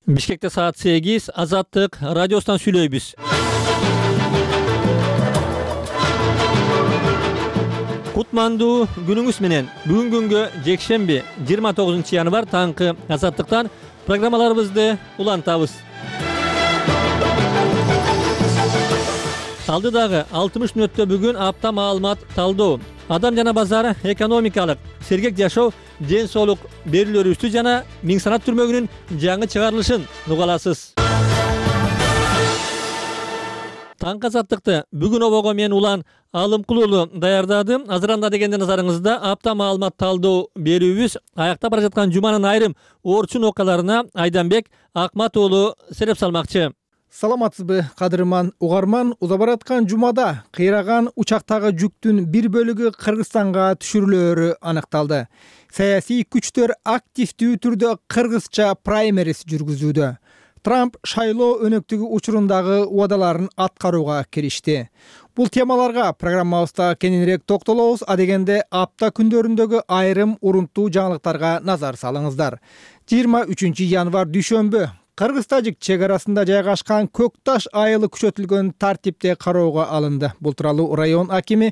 Бишкекте саат 8, Азаттык радиосунан сүйлөйбүз. Кутмандуу күнүңүз менен. Бүгүн күнгө жекшемби 29 январ таңкы Азаттыктан программаларыбызды улантабыз. Алдыдагы 60 мүнөттө бүгүн апта маалымат талдоо, адам жана базар, экономикалык, сергек жашоо, ден соолук берүүлөрүбүздү жана Миң санат түрмөгүнүн жаңы чыгарылышын угаласыз. Таңкы Азаттыкты бүгүн обого мен Улан Алымкулуулу даярдадым. Азыранда дегенде назарыңызда апта маалымат талдоо берүүбүз. Аяктап бара жаткан жуманын айрым орчун окуяларына Айданбек Акмат уулу сереп салмакчы. Саламатсызбы, кадырман угарман? Уза бараткан жумада кыйраган учактагы жүктүн бир бөлүгү Кыргызстанга түшүрүлөөрү аныкталды. Саясий күчтөр активдүү түрдө кыргызча праймериз жүргүзүүдө. Трамп шайлоо өнөктүгү учурундагы убадаларын аткарууга киришти. Бул темаларга программабызда кененирээк токтолобуз. Адегенде апта күндөрүндөгү айрым урунттуу жаңылыктарга назар салыңыздар. 23 январ дүйшөмбү Кыргыз-Тажик чек арасында жайгашкан Көкташ айылы күчөтүлгөн тартипте кароого алынды. Бул тууралуу район акими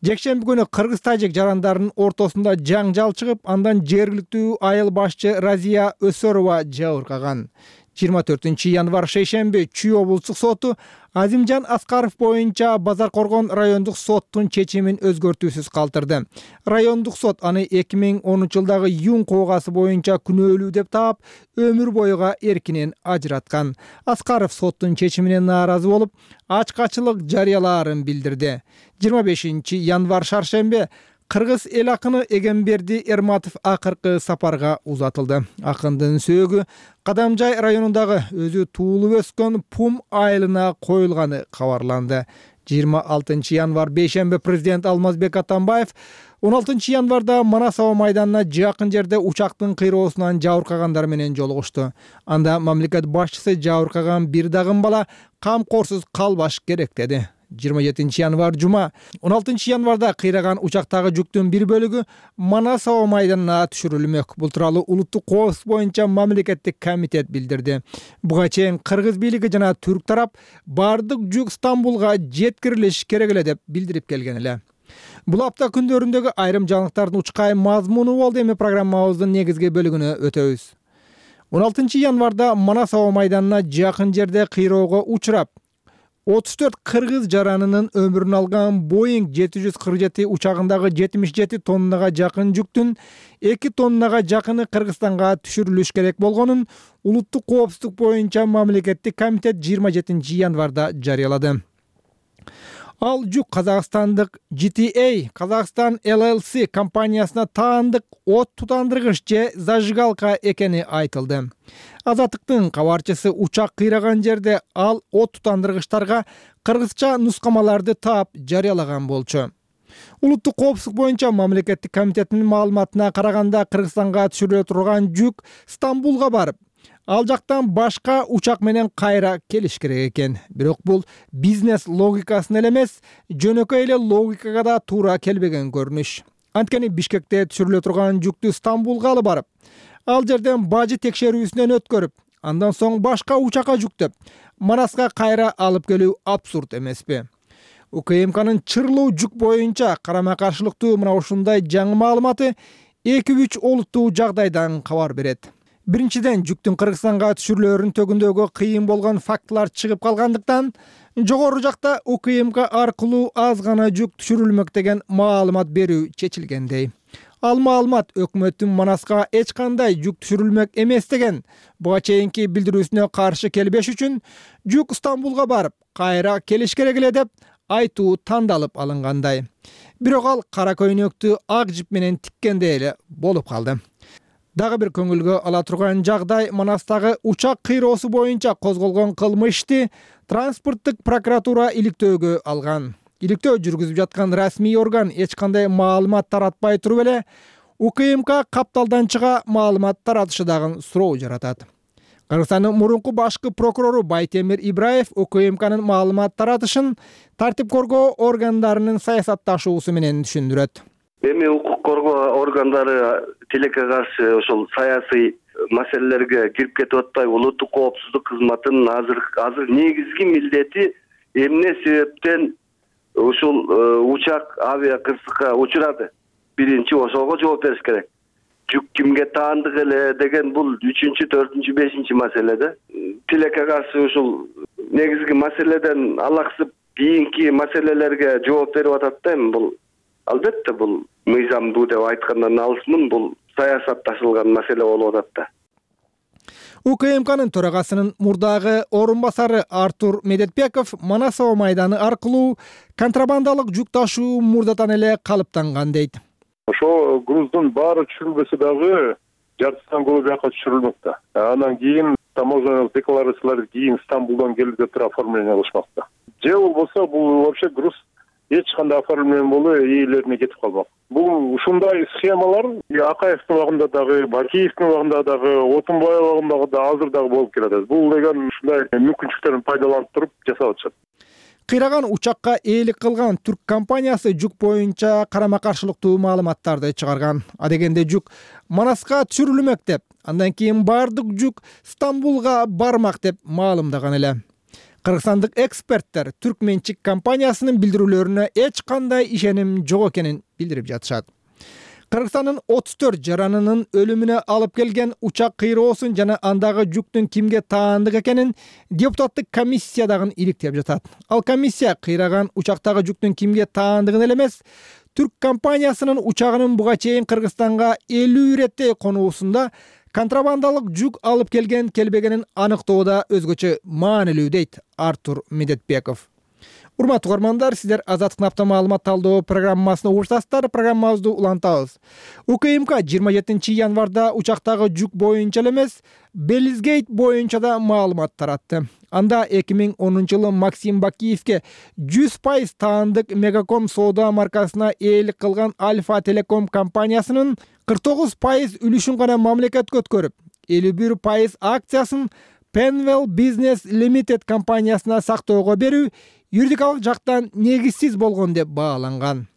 жекшемби күнү Кыргыз-Тажик жарандарынын ортосунда жаңжал чыгып, андан жергиликтүү айыл башчы Разия Өсөрова жабыркаган. 24 январ шейшемби Чүй облустук соту Азимжан Аскаров боюнча Базар Коргон райондук соттун чечимин өзгөртүүсүз калтырды. Райондук сот аны 2010 жылдагы Юн коогасы боюнча күнөөлүү деп таап, өмүр боюга эркинен ажыраткан. Аскаров соттун чечимине нааразы болуп, ачкачылык жарыялаарын билдирди. 25 январ шаршемби Кыргыз эл акыны Эгемберди Эрматов акыркы сапарга узатылды. Акындын сөөгү Кадамжай районундагы өзү туулуп өскөн Пум айылына коюлганы кабарланды. 26 январ бейшемби президент Алмазбек Атамбаев 16 январда Манас аба майданына жакын жерде учактын кыйроосунан жабыркагандар менен жолугушту. Анда мамлекет башчысы жабыркаган бир дагым бала камкорсуз калбаш керек деди. 27 январ жума 16 январда кыйраган учактагы жүктүн бир бөлүгү Манас аба майданына түшүрүлмөк. Бул тууралуу улуттук коопсуздук боюнча мамлекеттик комитет билдирди. Буга чейин кыргыз бийлиги жана түрк тарап бардык жүк Стамбулга жеткирилиш керек эле деп билдирип келген эле. Бул апта күндөрүндөгү айрым жаңылыктардын учкай мазмуну болду. Эми программабыздын негизги бөлүгүнө өтөбүз. 16 январда Манас аба майданына жакын жерде кыйроого учурап 34 кыргыз жаранынын өмүрүн алган Boeing 747 учагындагы 77 тоннага жакын жүктүн 2 тоннага жакыны Кыргызстанга түшүрүлүш керек болгонун улуттук коопсуздук боюнча мамлекеттик комитет 27 январда жарыялады. Ал жүк Казакстандык GTA Казакстан LLC компаниясына таандык от тутандыргыч же зажигалка экени айтылды. Азаттыктын кабарчысы учак кыйраган жерде ал от тутандыргычтарга кыргызча нускамаларды таап жарыялаган болчу. Улуттук коопсуздук боюнча мамлекеттик комитеттин маалыматына караганда Кыргызстанга түшүрүлө турган жүк Стамбулга барып, ал жактан башка учак менен кайра келиш керек экен. Бирок бул бизнес логикасына эле эмес, жөнөкөй эле логикага да туура келбеген көрүнүш. Анткени Бишкекте түшүрүлө турган жүктү Стамбулга алып барып, ал жерден бажы текшерүүсүнөн өткөрүп, андан соң башка учакка жүктөп, Манаска кайра алып келүү абсурд эмеспи? УКМКнын чырлуу жүк боюнча карама каршылыктуу мына ушундай жаңы маалыматы 2-3 олуттуу жагдайдан кабар берет. Биринчиден, жүктүн Кыргызстанга түшүрүлөөрүнүн төгүндөгү кыйын болгон фактылар чыгып калгандыктан, жогору жакта УКМК аркылуу аз гана жүк түшүрүлмөк деген маалымат берүү чечилгендей. Ал маалымат өкмөттүн Манаска эч кандай жүк түшүрүлмөк эмес деген буга чейинки билдирүүсүнө каршы келбеш үчүн жүк Стамбулга барып, кайра келиш керек эле деп айтуу тандалып алынгандай. Бирок ал кара көйнөктү ак жип менен тиккендей эле болуп калды. Дагы бир көңүлгө ала турган жагдай Манастагы учак кыйроосу боюнча козголгон кылмышты транспорттук прокуратура иликтөөгө алган. Иликтөө жүргүзүп жаткан расмий орган эч кандай маалымат таратпай туруп эле УКМК капталдан чыга маалымат таратышы дагы суроо жаратат. Кыргызстандын мурунку башкы прокурору Байтемир Ибраев УКМКнын маалымат таратышын тартип коргоо органдарынын саясатташуусу менен түшүндүрөт. Эми укук коргоо органдары тилекке каршы ошол саясий маселелерге кирип кетип атпай, улуттук коопсуздук кызматынын азыр негизги милдети эмне себептен ушул учак авиа кырсыкка учурады? Биринчи ошого жооп бериш керек. Жүк кимге таандык эле деген бул 3-чү, 4-чү, 5-чи маселе да. Тилекке каршы ушул негизги маселеден алаксып кийинки маселелерге жооп берип атат да. Бул албетте бул мыйзамдуу деп айткандан алысмын, бул саясатташылган маселе болуп атат да. УКМКнын төрагасынын мурдагы орун басары Артур Медетбеков Манасова майданы аркылуу контрабандалык жүк ташуу мурдатан эле калыптанган дейт. Ошо груздун баары түшүрүлбөсө дагы жартысынан көбү бияка түшүрүлмөктө. Анан кийин таможенялык декларацияларды кийин Стамбулдан келип туруп оформление кылышмакта. Же болбосо бул вообще груз эч кандай оформление болуу ээлерине кетип калмак. Бул ушундай схемалар Акаевдин убагында дагы, Бакиевдин убагында дагы, Отунбаев убагында дагы азыр дагы болуп келатат. Бул деген ушундай мүмкүнчүлүктөрдөн пайдаланып туруп жасап атышат. Кыйраган учакка ээлик кылган түрк компаниясы жүк боюнча карама каршылыктуу маалыматтарды чыгарган. Адегенде жүк Манаска түшүрүлмөк деп, андан кийин бардык жүк Стамбулга бармак деп маалымдаган эле. Кыргызстандык эксперттер түркменчик компаниясынын билдирүүлөрүнө эч кандай ишеним жок экенин билдирип жатышат. Кыргызстандын 34 жаранынын өлүмүнө алып келген учак кыйроосун жана андагы жүктүн кимге таандык экенин депутаттык комиссия дагы иликтеп жатат. Ал комиссия кыйраган учактагы жүктүн кимге таандыгын эле эмес, түрк компаниясынын учагынын буга чейин Кыргызстанга 50 иреттей конуусунда контрабандалык жүк алып келбегенин аныктоодо өзгөчө маанилүү дейт Артур Медетбеков. Урматтуу угармандар, сиздер Азаттык апта маалымат талдоо программасына угушасыздар. Программабызды улантабыз. УКМК 27 январда учактагы жүк боюнча эле эмес, Белизгейт боюнча да маалымат таратты. Анда 2010 жылы Максим Бакиевке 100% таандык Мегаком соода маркасына ээлик кылган Альфа Телеком компаниясынын 49% үлүшүн гана мамлекетке өткөрүп, 51% акциясын Penwell Business Limited компаниясына сактоого берүү юридикалык жактан негизсиз болгон деп бааланган.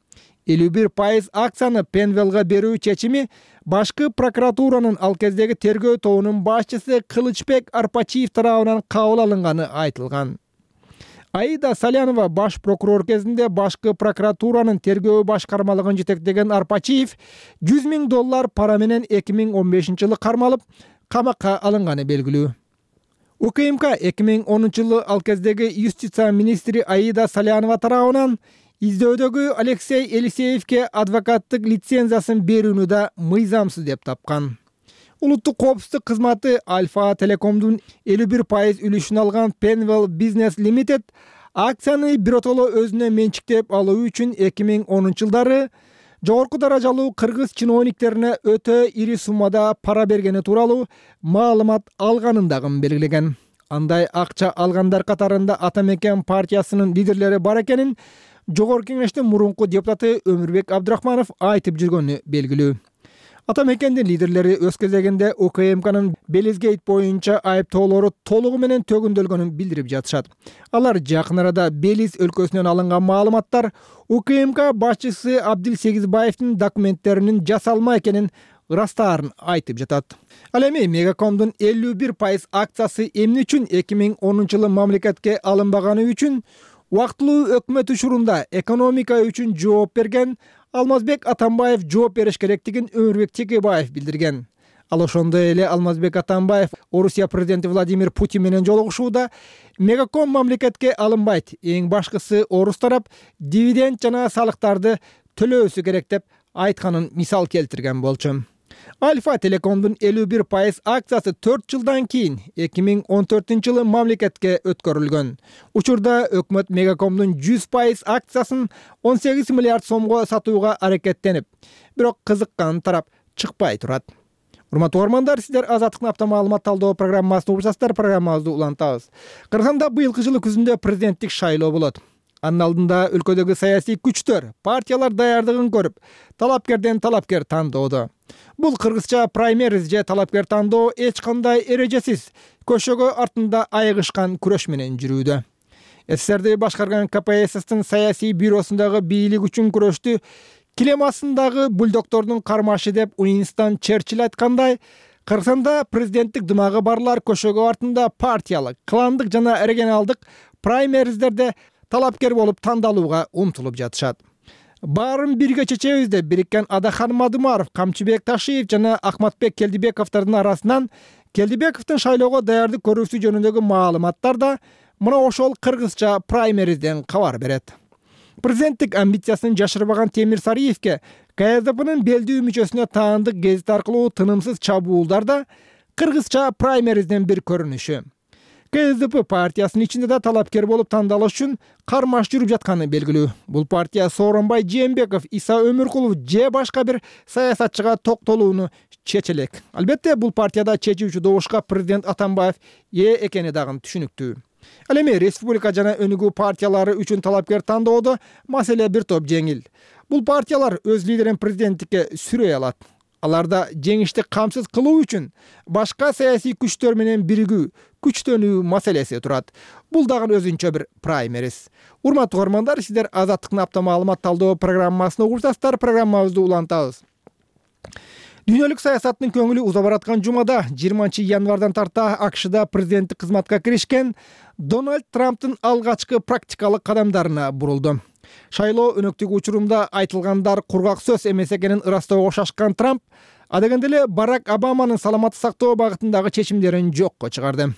51% акцияны Penwellга берүү чечими башкы прокуратуранын ал кездеги тергөө тобунун башчысы Кылычбек Арпачиев тарабынан кабыл алынганы айтылган. Аида Салянова баш прокурор кезинде башкы прокуратуранын тергөө башкармалыгын жетектеген Арпачиев $100,000 пара менен 2015 жылы кармалып, камакка алынганы белгилүү. УКМК 2010 жылы ал кездеги юстиция министри Аида Салянова тарабынан издөөдөгү Алексей Елисеевке адвокаттык лицензиясын берүүнү да мыйзамсыз деп тапкан. Улуттук коопсуздук кызматы Альфа Телекомдун 51% үлүшүн алган Penwell Business Limited акцияны биротоло өзүнө менчиктеп алуу үчүн 2010 жылдары жогорку даражалуу кыргыз чиновниктерине өтө ири суммада пара бергени тууралуу маалымат алганын дагы белгилеген. Андай акча алгандар катарында Ата Мекен партиясынын лидерлери бар экенин Жогорку Кеңештин мурунку депутаты Өмүрбек Абдрахманов айтып жүргөнү белгилүү. Ата Мекендин лидерлери өз кезегинде УКМКнын Белизгейт боюнча айыптоолору толугу менен төгүндөлгөнүн билдирип жатышат. Алар жакын арада Белиз өлкөсүнөн алынган маалыматтар УКМК башчысы Абдил Сегизбаевдин документтеринин жасалма экенин ырастаарын айтып жатат. Ал эми Мегакомдун 51% акциясы эмне үчүн 2010 жылы мамлекетке алынбаганы үчүн убактылуу өкмөт учурунда экономика үчүн жооп берген Алмазбек Атамбаев жооп бериш керектигин Өмүрбек Текебаев билдирген. Ал ошондой эле Алмазбек Атамбаев Орусия президенти Владимир Путин менен жолугушууда Мегаком мамлекетке алынбайт, эң башкысы орус тарап дивиденд жана салыктарды төлөөсү керек деп айтканын мисал келтирген болчу. Альфа Телекомдун 51% акциясы 4 жылдан кийин 2014 жылы мамлекетке өткөрүлгөн. Учурда өкмөт Мегакомдун 100% акциясын 18 миллиард сомго сатууга аракеттенип, бирок кызыккан тарап чыкпай турат. Урматтуу угармандар, сиздер Азаттык апта маалымат талдоо программасына угушасыздар. Программабызды улантабыз. Кыргызстанда быйылкы жылы күзүндө президенттик шайлоо болот. Анын алдында өлкөдөгү саясий күчтөр, партиялар даярдыгын көрүп, талапкерден талапкер тандоодо. Бул кыргызча праймериз же талапкер тандоо эч кандай эрежесиз, көшөгө артында айыгышкан күрөш менен жүрүүдө. СССРди башкарган КПССтин саясий бюросундагы бийлик үчүн күрөштү килем астындагы бульдоктордун кармашы деп Уинстон Черчилль айткандай, Кыргызстанда президенттик дымагы барлар көшөгө артында партиялык, кландык жана регионалдык праймериздерде талапкер болуп тандалууга умтулуп жатышат. Баарын бирге чечебиз деп бириккен Адахан Мадымаров, Камчыбек Ташиев жана Акматбек Келдибековдордун арасынан Келдибековдун шайлоого даярдык көрүүсү жөнүндөгү маалыматтар да мына ошол кыргызча праймеризден кабар берет. Президенттик амбициясын жашырбаган Темир Сариевке КСДПнын белдүү мүчөсүнө таандык гезит аркылуу тынымсыз чабуулдар да кыргызча праймеризден бир көрүнүшү. КСДП партиясынын ичинде да талапкер болуп тандалыш үчүн кармаш жүрүп жатканы белгилүү. Бул партия Сооронбай Жээнбеков, Иса Өмүркулов же башка бир саясатчыга токтолууну чечелек. Албетте, бул партияда чечүүчү добушка президент Атамбаев ээ экени дагы түшүнүктүү. Ал эми республика жана өнүгүү партиялары үчүн талапкер тандоодо маселе бир топ жеңил. Бул партиялар өз лидерин президенттикке сүрөй алат. Аларда жеңишти камсыз кылуу үчүн башка саясий күчтөр менен биригүү, күчтөнүү маселеси турат. Бул дагы өзүнчө бир праймериз. Урматтуу көрөрмандар, сиздер Азаттыктын апта маалымат талдоо программасын угушасыздар. Программабызды улантабыз. Дүйнөлүк саясаттын көңүлү уза бараткан жумада 20-январдан тарта АКШда президенттик кызматка киришкен Дональд Трамптын алгачкы практикалык кадамдарына бурулду. Шайлоо өнөктүгү учурунда айтылгандар кургак сөз эмес экенин ырастоого шашкан Трамп адегенде эле Барак Обаманын саламатты сактоо багытындагы чечимдерин жокко чыгарды.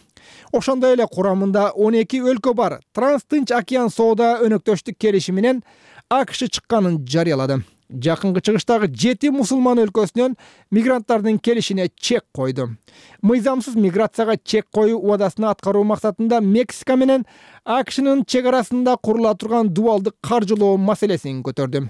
Ошондой эле курамында 12 өлкө бар Транс-Тынч океан соода өнөктөштүк келишими менен АКШ чыкканын жарыялады. Жакынкы чыгыштагы 7 мусулман өлкөсүнөн мигранттардын келишине чек койду. Мыйзамсыз миграцияга чек коюу убадасына аткаруу максатында Мексика менен АКШнын чек арасында курула турган дубалдык каржылоо маселесин көтөрдү.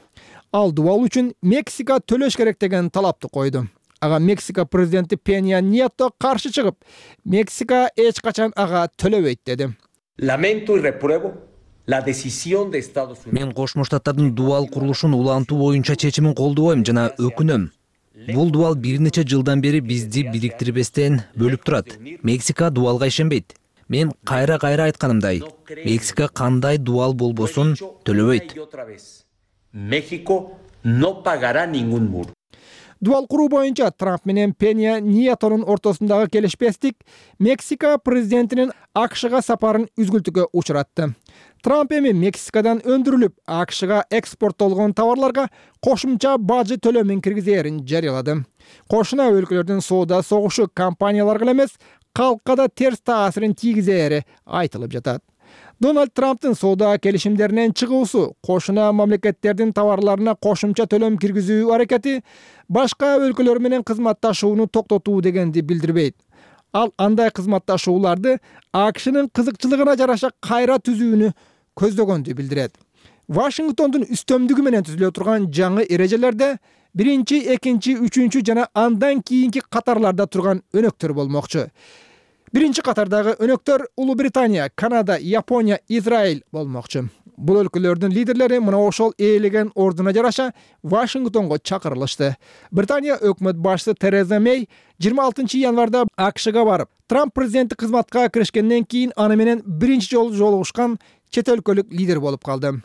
Ал дубал үчүн Мексика төлөш керек деген талапты койду. Ага Мексика президенти Пенья Nieto каршы чыгып, Мексика эч качан ага төлөбөйт деди. Lamento y repruebo la decisión de Estados Unidos. Мен Кошмо Штаттардын дубал курулушун улантуу боюнча чечимин колдобойм жана өкүнөм. Бул дубал бир нече жылдан бери бизди бириктирбестен бөлүп турат. Мексика дубалга ишенбейт. Мен кайра айтканымдай, Мексика кандай дубал болбосун төлөбөйт. México no pagará ningún muro. Дубал куруу боюнча Трамп менен Пенья Ниетонун ортосундагы келишпестик Мексика президентинин АКШга сапарын үзгүлтүккө учуратты. Трамп эми Мексикадан өндүрүлүп, АКШга экспорттолгон товарларга кошумча бажы төлөмүн киргизээрин жарыялады. Кошуна өлкөлөрдүн соода согушу компанияларга эмес, калкка да терс таасирин тийгизери айтылып жатат. Дональд Трамптын соода келишимдеринен чыгуусу, кошуна мамлекеттердин товарларына кошумча төлөм киргизүү аракети башка өлкөлөр менен кызматташууну токтотуу дегенди билдирбейт. Ал андай кызматташууларды АКШнын кызыкчылыгына жараша кайра түзүүнү көздөгөндү билдирет. Вашингтондун үстөмдүгү менен түзүлө турган жаңы эрежелерде 1, 2, 3 жана андан кийинки катарларда турган өнөктөр болмокчу. Биринчи катардагы өнөктөр Улуу Британия, Канада, Япония, Израиль болмокчу. Бул өлкөлөрдүн лидерлери мына ошол ээлеген ордуна жараша Вашингтонго чакырылышты. Британия өкмөт башчысы Тереза Мэй 26 январда АКШга барып, Трамп президенттик кызматка киришкенден кийин аны менен биринчи жолу жолугушкан чет өлкөлүк лидер болуп калды.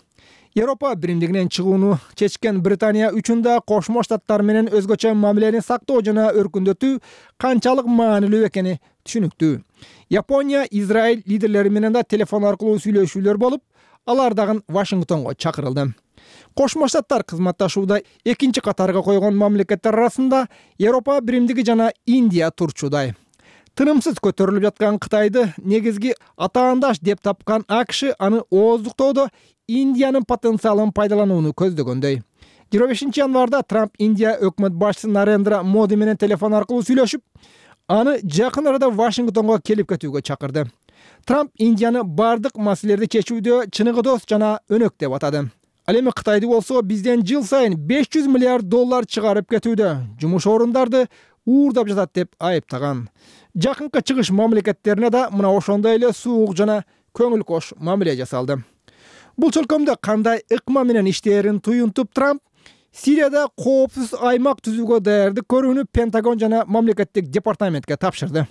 Европа биримдигинен чыгууну чечкен Британия үчүн да Кошмо Штаттар менен өзгөчө мамилени сактоо жана өркүндөтүү канчалык маанилүү экени түшүнүктүү. Япония, Израиль лидерлери менен да телефон аркылуу сүйлөшүүлөр болуп, алар дагы Вашингтонго чакырылды. Кошмо Штаттар кызматташууда экинчи катарга койгон мамлекеттер арасында Европа биримдиги жана Индия турчудай. Тынымсыз көтөрүлүп жаткан Кытайды негизги атаандаш деп тапкан АКШ аны ооздуктоодо Индиянын потенциалын пайдаланууну көздөгөндөй. 25 январда Трамп Индия өкмөт башчысы Нарендра Моди менен телефон аркылуу сүйлөшүп, аны жакын арада Вашингтонго келип кетүүгө чакырды. Трамп Индияны бардык маселелерди чечүүдө чыныгы жана өнөк деп атады. Ал эми Кытайды болсо бизден жыл сайын $500 миллиард чыгарып кетүүдө, жумуш орундарды уурдап жатат деп айыптаган. Жакынкы чыгыш мамлекеттерине да мына ошондой эле суук жана көңүл кош мамиле жасалды. Бул чөлкөмдө кандай ыкма менен иштээрин туюнтуп Трамп Сирияда коопсуз аймак түзүүгө даярдык көрүүнү Пентагон жана мамлекеттик департаментке тапшырды.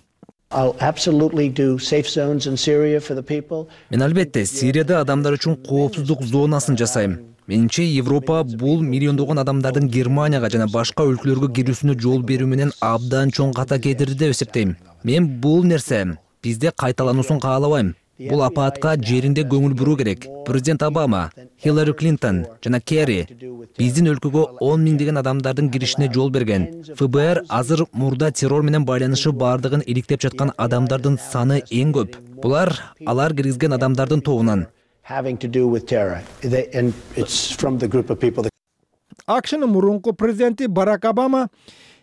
Мен албетте Сирияда адамдар үчүн коопсуздук зонасын жасайм. Менимче Европа бул миллиондогон адамдардын Германияга жана башка өлкөлөргө кирүүсүнө жол берүү менен абдан чоң ката кетирди деп эсептейм. Мен бул нерсе бизде кайталануусун каалабайм. Бул апаатка жеринде көңүл буруу керек. Президент Обама, Хиллари Клинтон жана Керри биздин өлкөгө 10 миңдеген адамдардын киришине жол берген. ФБР азыр мурда террор менен байланышы бардыгын иликтеп жаткан адамдардын саны эң көп. Булар алар киргизген адамдардын тобунан. АКШнын мурунку президенти Барак Обама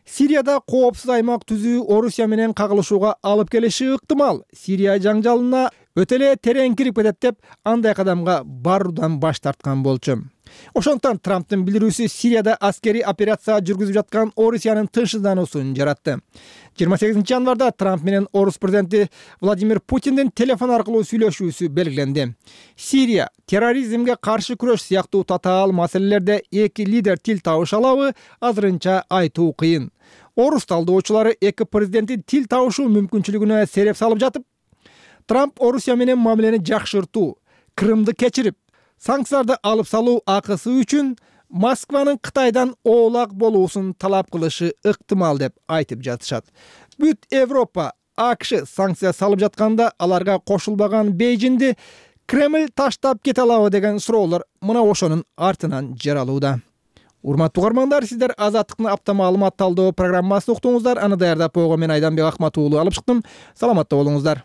Сирияда коопсуз аймак түзүү Орусия менен кагылышууга алып келиши ыктымал. Сирия жаңжалына өтө эле терең кирип кетет деп андай кадамга баруудан баш тарткан болчу. Ошондуктан Трамптын билдирүүсү Сирияда аскерий операция жүргүзүп жаткан Орусиянын тынчсыздануусун жаратты. 28 январда Трамп менен Орус президенти Владимир Путиндин телефон аркылуу сүйлөшүүсү белгиленди. Сирия, терроризмге каршы күрөш сыяктуу татаал маселелерде эки лидер тил табыша алабы, азырынча айтуу кыйын. Орус талдоочулары эки президенттин тил табышуу мүмкүнчүлүгүнө сереп салып жатып, Трамп Орусия менен мамилени жакшыртуу, Крымды кечирип, санкцияларды алып салуу акысы үчүн Москванын Кытайдан оолак болуусун талап кылышы ыктымал деп айтып жатышат. Бүт Европа, АКШ санкция салып жатканда аларга кошулбаган Бейжиңди Кремль таштап кете алабы деген суроолор мына ошонун артынан жаралууда. Урматтуу угармандар, сиздер Азаттыктын апта маалымат талдоо программасын уктуңуздар. Аны даярдап койгон мен Айданбек Акмат уулу алып чыктым. Саламатта болуңуздар.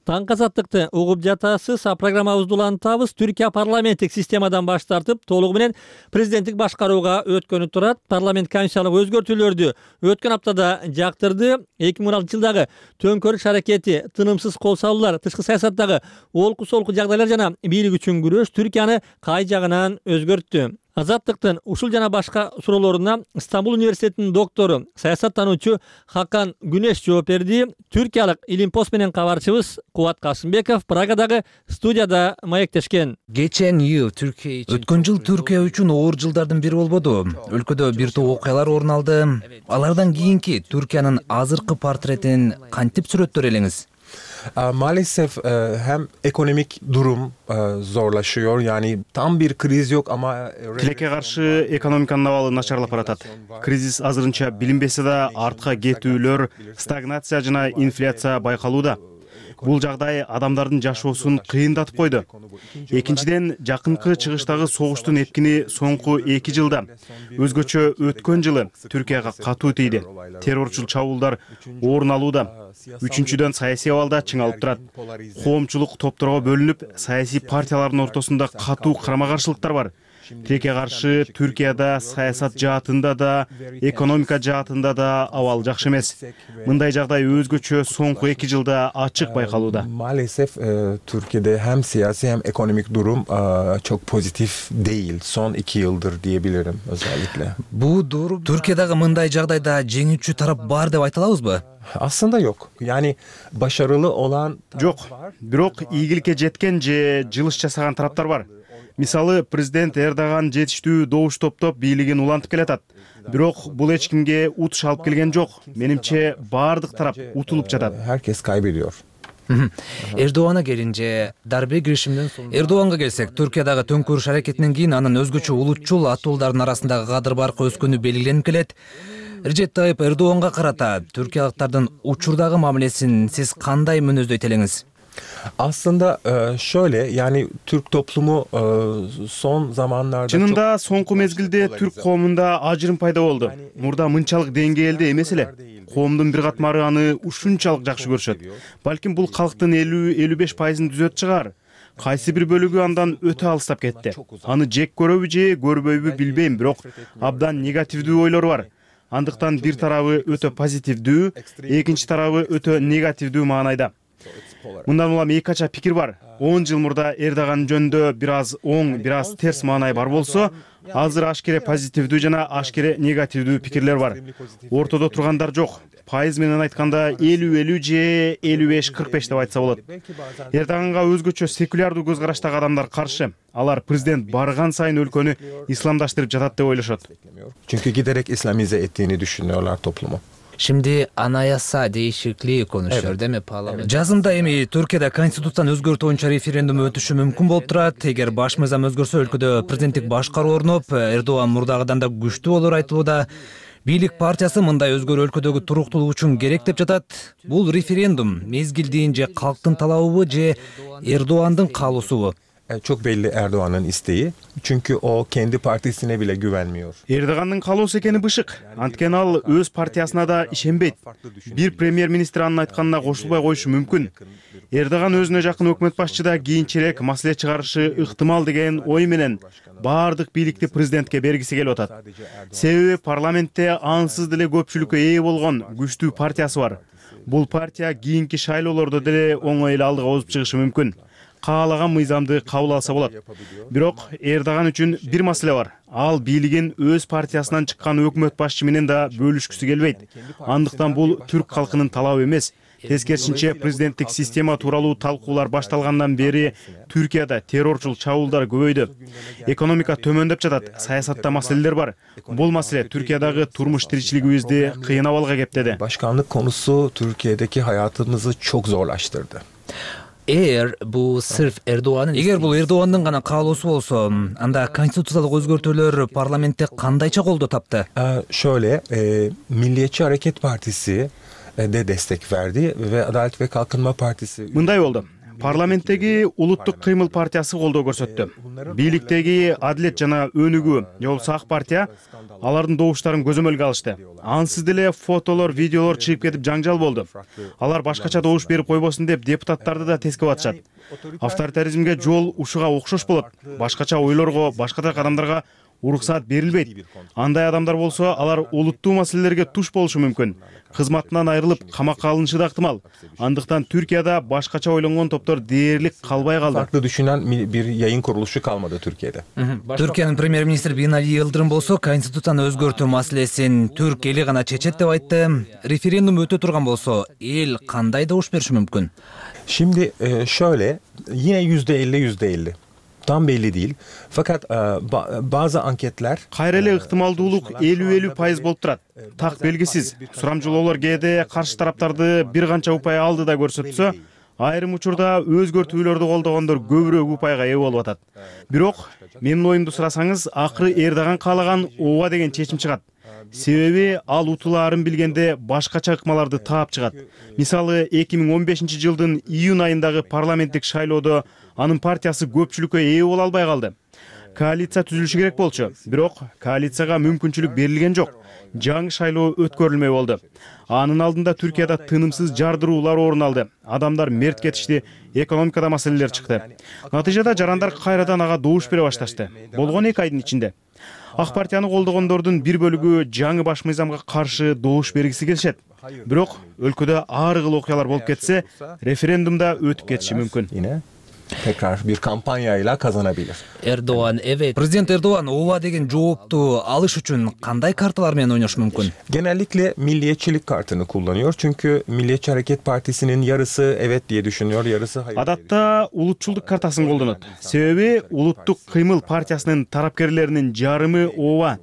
Таңкы азаттыкты угуп жатасыз. Программабызды улантабыз. Түркия парламенттик системадан баш тартып, толугу менен президенттик башкарууга өткөнү турат. Парламент комиссиялык өзгөртүүлөрдү өткөн аптада жактырды. 2016 жылдагы төңкөрүш аракети, тынымсыз кол салуулар, тышкы саясаттагы олку-солку жагдайлар жана бийлик үчүн күрөш Түркияны кай жагынан өзгөрттү. Азаттыктын ушул жана башка суроолоруна Стамбул университетинин доктору, саясаттануучу Хакан Күнеш жооп берди. Түркиялык Илимпост менен кабарчыбыз Кубат Касымбеков Прагадагы студияда маектешкен. Geçen yıl Türkiye için өткөн жыл Түркия үчүн оор жылдардын бири болбоду. Өлкөдө бир топ окуялар орун алды. Алардан кийинки Түркиянын азыркы портретин кантип сүрөттөр элеңиz? Maalesef hem ekonomik durum zorlaşıyor, yani tam bir kriz yok ama Тилекке каршы экономиканын абалы начарлап баратат. Кризис азырынча билинбесе да артка кетүүлөр, стагнация жана инфляция байкалууда. Бул жагдай адамдардын жашоосун кыйындатып койду. Экинчиден, жакынкы чыгыштагы согуштун эпкини соңку 2 жылда, өзгөчө өткөн жылы Түркияга катуу тийди. Террорчул чабуулдар орун алууда. Үчүнчүдөн, саясий абалда чыңалып турат. Коомчулук топторго бөлүнүп, саясий партиялардын ортосунда катуу карама-каршылыктар бар. Тилекке каршы Түркияда саясат жаатында да, экономика жаатында да абал жакшы эмес. Мындай жагдай өзгөчө соңку 2 жылда ачык байкалууда. Maalesef Türkiye'de hem siyasi hem ekonomik durum çok pozitif değil. Son 2 yıldır diyebilirim özellikle. Bu doğru. Türkiye'dagi мындай жагдайда жеңүүчү тарап бар деп айта алабызбы? Aslında yok. Yani başarılı olan Жок, бирок ийгиликке жеткен же жылыш жасаган тараптар бар. Мисалы, президент Эрдоган жетиштүү добуш топтоп бийлигин улантып келатат. Бирок бул эч кимге утуш алып келген жок. Менимче баардык тарап утулуп жатат. herkes kaybediyor. Эрдоганга келинce дарбе girişimden sonra Эрдоганга келсек, Түркиядагы төңкөрүш аракетинен кийин анын өзгөчө улутчул атуулдардын арасындагы кадыр баркы өскөнү белгиленип келет. Режеп Тайып Эрдоганга карата түркиялыктардын учурдагы мамилесин сиз кандай мүнөздөйт элеңиz? Aslında şöyle, yani Türk toplumu son zamanlarda Чынында соңку мезгилде түрк коомунда ажырым пайда болду. Мурда мынчалык деңгээлде эмес эле. Коомдун бир катмары аны ушунчалык жакшы көрүшөт. Балким бул калктын 50-55%ын түзөт чыгар. Кайсы бир бөлүгү андан өтө алыстап кетти. Аны жек көрөбү же көрбөйбү билбейм, бирок абдан негативдүү ойлор бар. Андыктан бир тарабы өтө позитивдүү, экинчи тарабы өтө негативдүү маанайда. Мындан улам эки кача пикир бар. 10 жыл мурда Эрдоган жөнүндө бир аз оң, бир аз терс маанай бар болсо, азыр ашкере позитивдүү жана ашкере негативдүү пикирлер бар. Ортодо тургандар жок. Пайыз менен айтканда 50-50 же 55-45 деп айтса болот. Эрдоганга өзгөчө секулярдуу көз караштагы адамдар каршы. Алар президент барган сайын өлкөнү исламдаштырып жатат деп ойлошот. çünkü giderek İslamize ettiğini düşünüyorlar toplumu. Şimdi anayasa değişikliği konuşuyor değil mi parlament? Жазында эми Түркияда конституцияны өзгөртүү боюнча референдум өтүшү мүмкүн болуп турат. Эгер баш мыйзам өзгөрсө өлкөдө президенттик башкаруу орноп, Эрдоган мурдагыдан да күчтүү болор айтылууда. Бийлик партиясы мындай өзгөрүү өлкөдөгү туруктуулук үчүн керек деп жатат. Бул референдум мезгилдин же калктын талабыбы же Эрдогандын каалоосубу? Çok belli Erdoğan'ın isteği. Çünkü o kendi partisine bile güvenmiyor. Эрдогандын каалоосу экени бышык. Анткени ал өз партиясына да ишенбейт. Бир премьер-министр анын айтканына кошулбай коюшу мүмкүн. Эрдоган өзүнө жакын өкмөт башчы да кийинчерээк маселе чыгарышы ыктымал деген ой менен баардык бийликти президентке бергиси келип атат. Себеби парламентте ансыз деле көпчүлүккө ээ болгон күчтүү партиясы бар. Бул партия кийинки шайлоолордо деле оңой эле алдыга озуп чыгышы мүмкүн. Каалаган мыйзамды кабыл алса болот. Бирок Эрдоган үчүн бир маселе бар. Ал бийлигин өз партиясынан чыккан өкмөт башчы менен да бөлүшкүсү келбейт. Андыктан бул түрк калкынын талабы эмес. Тескерисинче президенттик система тууралуу талкуулар башталгандан бери Түркияда террорчул чабуулдар көбөйдү. Экономика төмөндөп жатат, саясатта маселелер бар. Бул маселе Türkiye'dagi turmuş tirikçiligimizdi kıyın avalga geptedi. Başkanlık konusu Türkiye'deki hayatımızı çok zorlaştırdı. Эгер бул сырф Эрдоганын эгер бул Эрдогандын гана каалоосу болсо, анда конституциялык өзгөртүүлөр парламентте кандайча колдоо тапты? Şöyle, Milliyetçi Hareket Partisi de destek verdi ve Adalet ve Kalkınma Partisi. Мындай болду. Парламенттеги Улуттук кыймыл партиясы колдоо көрсөттү. Бийликтеги Адилет жана Өнүгүү, жолсу ак партия алардын добуштарын көзөмөлгө алышты. Ансыз деле фотолор, видеолор чыгып кетип жаңжал болду. Алар башкача добуш берип койбосун деп депутаттарды да тескеп атышат. Авторитаризмге жол ушуга окшош болот. Башкача ойлорго, башкача адамдарга уруксаат берилбейт. Андай адамдар болсо, алар улуттуу маселелерге туш болушу мүмкүн. Кызматынан айрылып, камакка алынышы да ыктымал. Андыктан Türkiye'de башкача ойлонгон топтор дээрлик калбай калды. Farklı düşünen bir yayın kuruluşu kalmadı Türkiye'de. Türkiye'nin Premier-Ministri Binali Yıldırım bolso konstituцияны өзгөртүү маселесин түрк эли гана чечет деп айтты. Референдум өтө турган болсо, эл кандай добуш бериши мүмкүн? Şimdi şöyle, yine %50. Tam belli değil. Fakat bazı anketler кайра эле ыктымалдуулук 50% болуп турат. Так белгисиз. Сурамжылоолор кээде каршы тараптарды бир канча упай алды да көрсөтсө, айрым учурда өзгөртүүлөрдү колдогондор көбүрөөк упайга ээ болуп атат. Бирок менин оюмду сурасаңыз, акыры Эрдоган каалаган ооба деген чечим чыгат. Себеби ал утулаарын билгенде башкача ыкмаларды таап чыгат. Мисалы 2015-жылдын июнь айындагы парламенттик шайлоодо анын партиясы көпчүлүккө ээ боло албай калды. Коалиция түзүлүшү керек болчу, бирок коалицияга мүмкүнчүлүк берилген жок. Жаңы шайлоо өткөрүлмөй болду. Анын алдында Түркияда тынымсыз жардыруулар орун алды. Адамдар мерт кетишти, экономикада маселелер чыкты. Натыйжада жарандар кайрадан ага добуш бере башташты. Болгон 2 айдын ичинде. Ак партияны колдогондордун бир бөлүгү жаңы баш мыйзамга каршы добуш бергиси келишет. Бирок өлкөдө ар кыл окуялар болуп кетсе, референдумда өтүп кетиши мүмкүн. Tekrar bir kampanyayla kazanabilir. Erdoğan, evet. Prezident Erdoğan ооба деген жоопту алыш үчүн кандай карталар менен ойнош мүмкүн? Genellikle milliyetçilik kartını kullanıyor. Çünkü Milliyetçi Hareket Partisi'nin yarısı evet diye düşünüyor, yarısı hayır. Адатта улутчулдук картасын колдонот. Себеби Улуттук кыймыл партиясынын тарапкерлеринин жарымы ооба,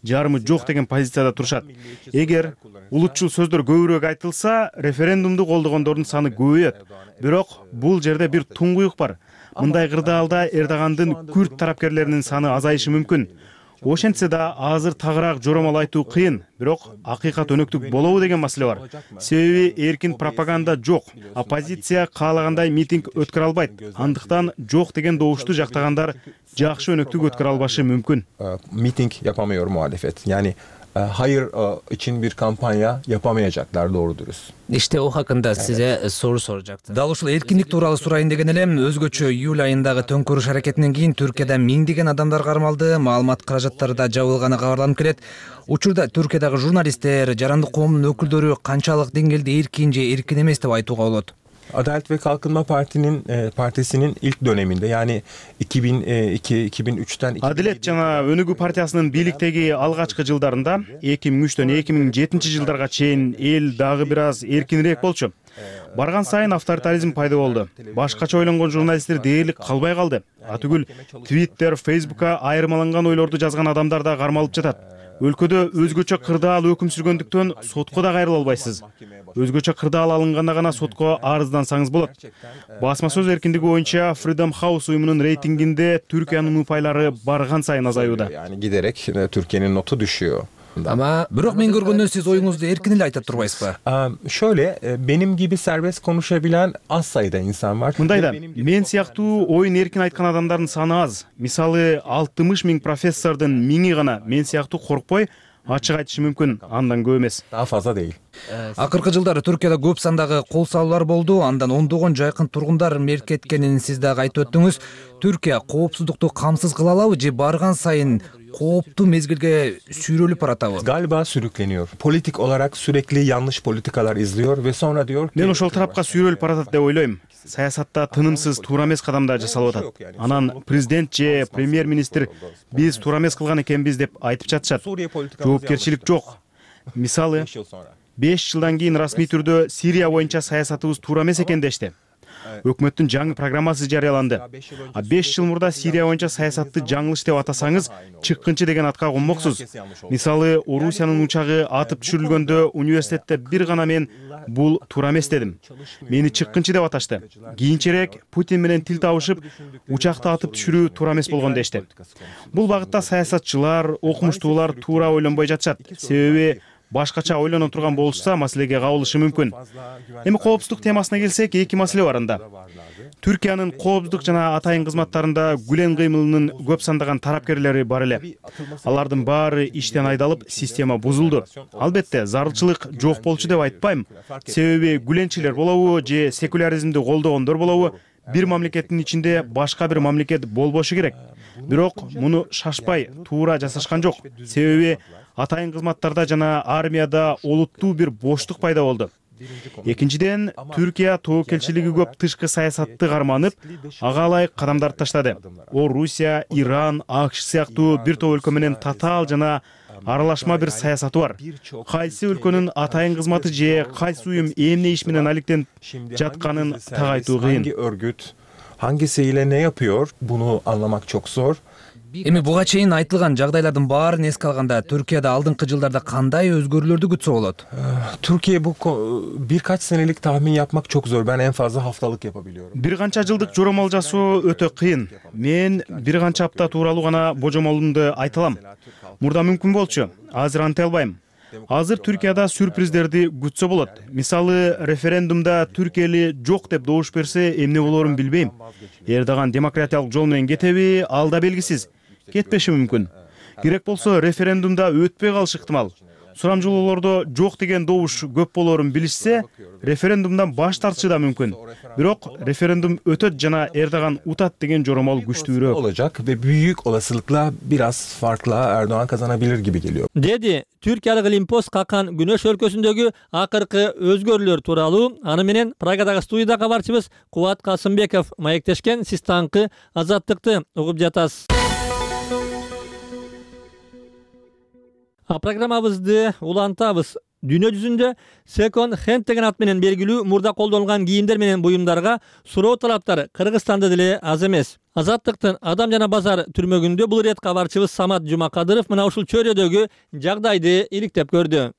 жарымы жок деген позицияда турушат. Эгер улутчул сөздөр көбүрөөк айтылса, референдумду колдогондордун саны көбөйөт. Бирок бул жерде бир туңгуюк бар. Мындай кырдаалда Эрдогандын күрд тарапкерлеринин саны азайышы мүмкүн. Ошентсе да азыр тагыраак жоромол айтуу кыйын, бирок акыйкат өнөктүк болобу деген маселе бар. Себеби эркин пропаганда жок. Оппозиция каалагандай митинг өткөрө албайт. Андыктан жок деген добушту жактагандар жакшы өнөктүк өткөрө албашы мүмкүн. Miting yapamıyor muhalefet. Yani hayır için bir kampanya yapamayacaklar doğru dürüst. İşte o hakkında size soru soracaktım. Dal ушул эркиндик тууралуу сурайын деген элем. Өзгөчө июль айындагы төңкөрүш аракетинен кийин Түркияда миңдеген адамдар кармалды, маалымат каражаттары да жабылганы кабарланып келет. Учурда Түркиядагы журналисттер, жарандык коомдун өкүлдөрү канчалык деңгээлде эркин же эркин эмес деп айтууга болот. Adalet ve Kalkınma Partisi'nin ilk döneminde yani 2002-2003'ten Адилет жана Өнүгүү партиясынын бийликтеги алгачкы жылдарында 2003-төн 2007-жылдарга чейин эл дагы бир аз эркинирээк болчу. Барган сайын авторитаризм пайда болду. Башкача ойлонгон журналисттер дээрлик калбай калды. Атүгүл Twitter, Facebook'a айырмаланган ойлорду жазган адамдар да кармалып жатат. өлкөдө өзгөчө кырдаал өкүм сүргөндүктөн сотко да кайрыла албайсыз. Өзгөчө кырдаал алынганда гана сотко арыздансаңыз болот. Басма сөз эркиндиги боюнча Freedom House уюмунун рейтингинде Түркиянын упайлары барган сайын азаюуда. Yani giderek Türkiye'nin notu düşüyor. Ama бирок мен көргөндөн сиз оюңузду эркин эле айтып турбайсызбы? Şöyle, benim gibi serbest konuşabilen az sayıda insan var. Мындай да, мен сыяктуу оюн эркин айткан адамдардын саны аз. Мисалы 60 000 профессордун 1000 гана мен сыяктуу коркпой ачык айтышы мүмкүн, андан көп эмес. Daha fazla değil. Акыркы жылдары Түркияда көп сандагы кол салуулар болду, андан ондогон жайкын тургундар мерт кеткенин сиз дагы айтып өттүңүз. Түркия коопсуздукту камсыз кыла алабы же барган сайын kooптуу mezgilge sürülüp aratабы? Galiba sürükleniyor. Politik olarak sürekli yanlış politikalar izliyor ve sonra diyor ki... Мен ошол тарапка сүйрөлүп баратат деп ойлойм. Саясатта тынымсыз туура эмес кадамдар жасалып атат. Анан президент же премьер-министр биз туура эмес кылган экенбиз деп айтып жатышат. Жоопкерчилик жок. Мисалы, 5 жылдан кийин расмий түрдө Сирия боюнча саясатыбыз туура эмес экен дешти. Өкмөттүн жаңы программасы жарыяланды. 5 жыл мурда Сирия боюнча саясатты жаңылыш деп атасаңыз, чыккынчы деген атка конмоксуз. Мисалы, Орусиянын учагы атып түшүрүлгөндө университетте бир гана мен бул туура эмес дедим. Мени чыккынчы деп аташты. Кийинчерээк Путин менен тил табышып, учакты атып түшүрүү туура эмес болгон дешти. Бул багытта саясатчылар, окумуштуулар туура ойлонбой жатышат. Себеби башкача ойлоно турган болушса, маселеге кабылышы мүмкүн. Эми коопсуздук темасына келсек, эки маселе бар анда. Түркиянын коопсуздук жана атайын кызматтарында Гүлен кыймылынын көп сандаган тарапкерлери бар эле. Алардын баары иштен айдалып, система бузулду. Албетте, зарылчылык жок болчу деп айтпайм. Себеби Гүленчилер болобу же секуляризмди колдогондор болобу, бир мамлекеттин ичинде башка бир мамлекет болбошу керек. Бирок муну шашпай, туура жасашкан жок. Себеби атайын кызматтарда жана армияда олуттуу бир боштук пайда болду. Экинчиден, Түркия тобокелчилиги көп тышкы саясатты карманып, ага ылайык кадамдар таштады. Орусия, Иран, АКШ сыяктуу бир топ өлкө менен татаал жана аралашма бир саясаты бар. Кайсы өлкөнүн атайын кызматы же кайсы уюм эмне иш менен алектенип жатканын так айтуу кыйын. Hangi örgüt hangisiyle ne yapıyor? Bunu anlamak çok zor. Эми буга чейин айтылган жагдайлардын баарын эске алганда Түркияда алдыңкы жылдарда кандай өзгөрүүлөрдү күтсө болот? Türkiye bu birkaç senelik tahmin yapmak çok zor. Ben en fazla haftalık yapabiliyorum. Бир канча жылдык жоромол жасоо өтө кыйын. Мен бир канча апта тууралуу гана божомолумду айта алам. Мурда мүмкүн болчу. Азыр анте албайм. Азыр Түркияда сюрприздерди күтсө болот. Мисалы, референдумда Түркия эли жок деп добуш берсе, эмне болорун билбейм. Эрдоган демократиялык жол менен кетеби, ал да белгисиз. Кетпеши мүмкүн. Керек болсо референдумда өтпөй калышы ыктымал. Сурамжылоолордо жок деген добуш көп болорун билишсе, референдумдан баш тартышы да мүмкүн. Бирок референдум өтөт жана Эрдоган утат деген жоромол күчтүүрөөк olacak ve büyük olasılıkla biraz farkla Erdoğan kazanabilir gibi geliyor. Dedi Türkiýalыk Limpost Kakan Güneş өлкөсүндөгү акыркы өзгөрүүлөр тууралуу аны менен Прагадагы студияда кабарчыбыз Кубат Касымбеков маектешкен. Сиз таңкы Азаттыкты угуп жатасыз. Программабызды улантабыз. Дүйнө жүзүндө second hand деген ат менен белгилүү мурда колдонулган кийимдер менен буюмдарга суроо талаптары Кыргызстанда деле аз эмес. Азаттыктын Адам жана базар түрмөгүндө бул ирет кабарчыбыз Самат Жумакадыров мына ушул чөйрөдөгү жагдайды иликтеп көрдү.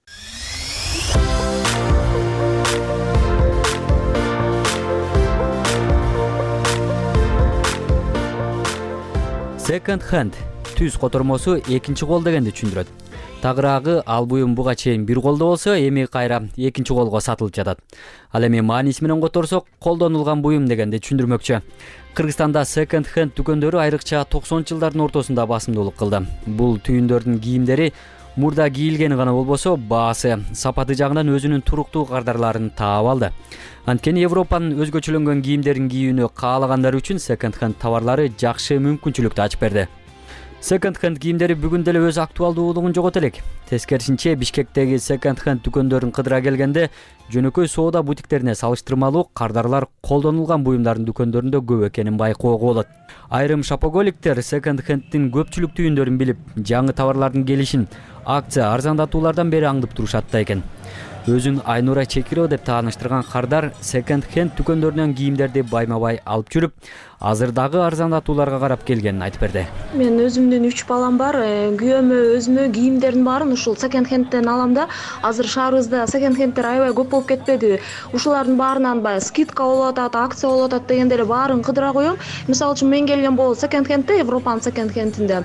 Second hand түз котормосу экинчи кол дегенди түшүндүрөт. Тагыраагы ал буюм буга чейин бир колдо болсо, эми кайра экинчи колго сатылып жатат. Ал эми мааниси менен которсок, колдонулган буюм дегенди түшүндүрмөкчү. Кыргызстанда second hand дүкөндөрү айрыкча 90-жылдардын ортосунда басымдуулук кылды. Бул түйүндөрдүн кийимдери мурда кийилгени гана болбосо, баасы, сапаты жагынан өзүнүн туруктуу кардарларын таап алды. Анткени Европанын өзгөчөлөнгөн кийимдерин кийүүнү каалагандар үчүн second hand товарлары жакшы мүмкүнчүлүктү ачып берди. Second hand кийимдери бүгүн деле өз актуалдуулугун жогото элек. Тескерисинче, Бишкектеги second hand дүкөндөрүн кыдыра келгенде, жөнөкөй соода бутиктерине салыштырмалуу кардарлар колдонулган буюмдардын дүкөндөрүндө көп экенин байкоого болот. Айрым шопоголиктер second handдин көпчүлүк түйүндөрүн билип, жаңы товарлардын келишин акция арзандатуулардан бери аңдып турушат да экен. Өзүн Айнура Чекирова деп тааныштырган кардар second hand дүкөндөрүнөн кийимдерди байма-бай алып жүрүп, азыр дагы арзандатууларга карап келгенин айтып берди. Мен өзүмдүн 3 балам бар. Күйөөмө өзүмө кийимдердин баарын ушул секонд-хендден алам да. Азыр шаарыбызда секонд-хенддер аябай көп болуп кетпеди. Ушулардын баарынан баягы скидка болуп атат, акция болуп атат дегенде эле баарын кыдыра коём. Мисалы үчүн мен келген болот секонд-хендде, Европанын секонд-хендинде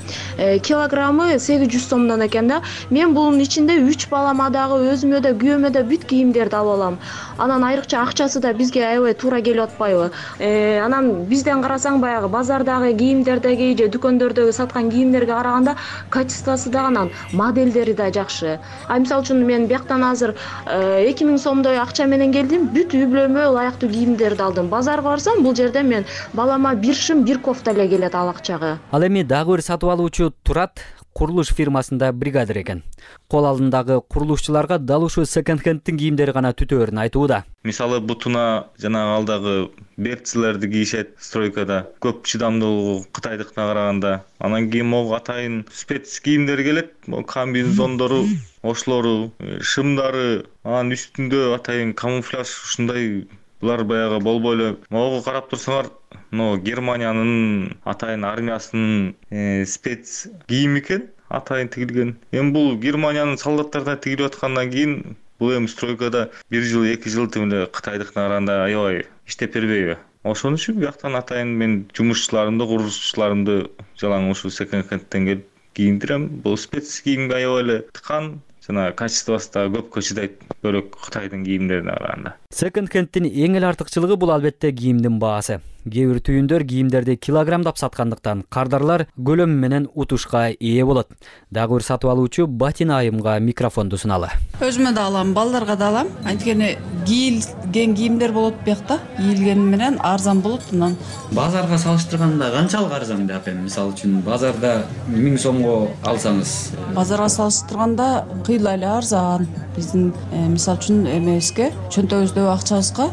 килограммы 800 сомдон экен да. Мен бунун ичинде 3 балама дагы, өзүмө да, күйөөмө да бүт кийимдерди алып алам. Анан айрыкча акчасы да бизге аябай туура келип атпайбы? Анан бизден карасаң баягы базардагы кийимдердеги же дүкөндөрдөгү саткан кийимдерге караганда качествосу да анан модельдери да жакшы. Мисалы үчүн мен бияктан азыр 2000 сомдой акча менен келдим, бүт үй бүлөмө ылайыктуу кийимдерди алдым. Базарга барсам, бул жерде мен балама бир шым, бир кофта эле келет ал акчага. Ал эми дагы бир сатып алуучу Турат курулуш фирмасында бригадир экен. Кол алдындагы курулушчуларга дал ушул секонд-хенддин кийимдери гана түтөөрүн айтууда. Мисалы бутуна жана алдагы берцлерди кийишет стройкада. Көп чыдамдуулугу кытайдыкына караганда. Анан кийин могу атайын спец кийимдер келет. Комбинезондору, ошлору, шымдары, анан үстүндө атайын камуфляж ушундай булар баягы болбой эле. Могу карап турсаңар, Германиянын атайын армиясынын спец кийим экен, атайын тигилген. Эми бул Германиянын солдаттарына тигилип аткандан кийин бул эми стройкада 1 жыл, 2 жыл тимеле кытайдыкына караганда аябай иштеп бербейби? Ошон үчүн бияктан атайын мен жумушчуларымды, курулушчуларымды жалаң ушул секонд-хендден келип кийиндирем. Бул спец кийимге аябай эле тыкан, жана качествосу да көпкө чыдайт, бөлөк Кытайдын кийимдерине караганда. Секонд-хенддин эң эле артыкчылыгы бул албетте кийимдин баасы. Кээ бир түйүндөр кийимдерди килограммдап саткандыктан кардарлар көлөмү менен утушка ээ болот. Дагы бир сатып алуучу Батина айымга микрофонду суналы. Өзүмө да алам, балдарга да алам. Анткени кийилген кийимдер болот биякта. Кийилгени менен арзан болот. Анан базарга салыштырганда канчалык арзан деп эми? Мисалы үчүн базарда 1000 сомго алсаңыз, базарга салыштырганда кыйла эле арзан. Биздин мисалы үчүн эмебизге, чөнтөгүбүздөгү акчабызга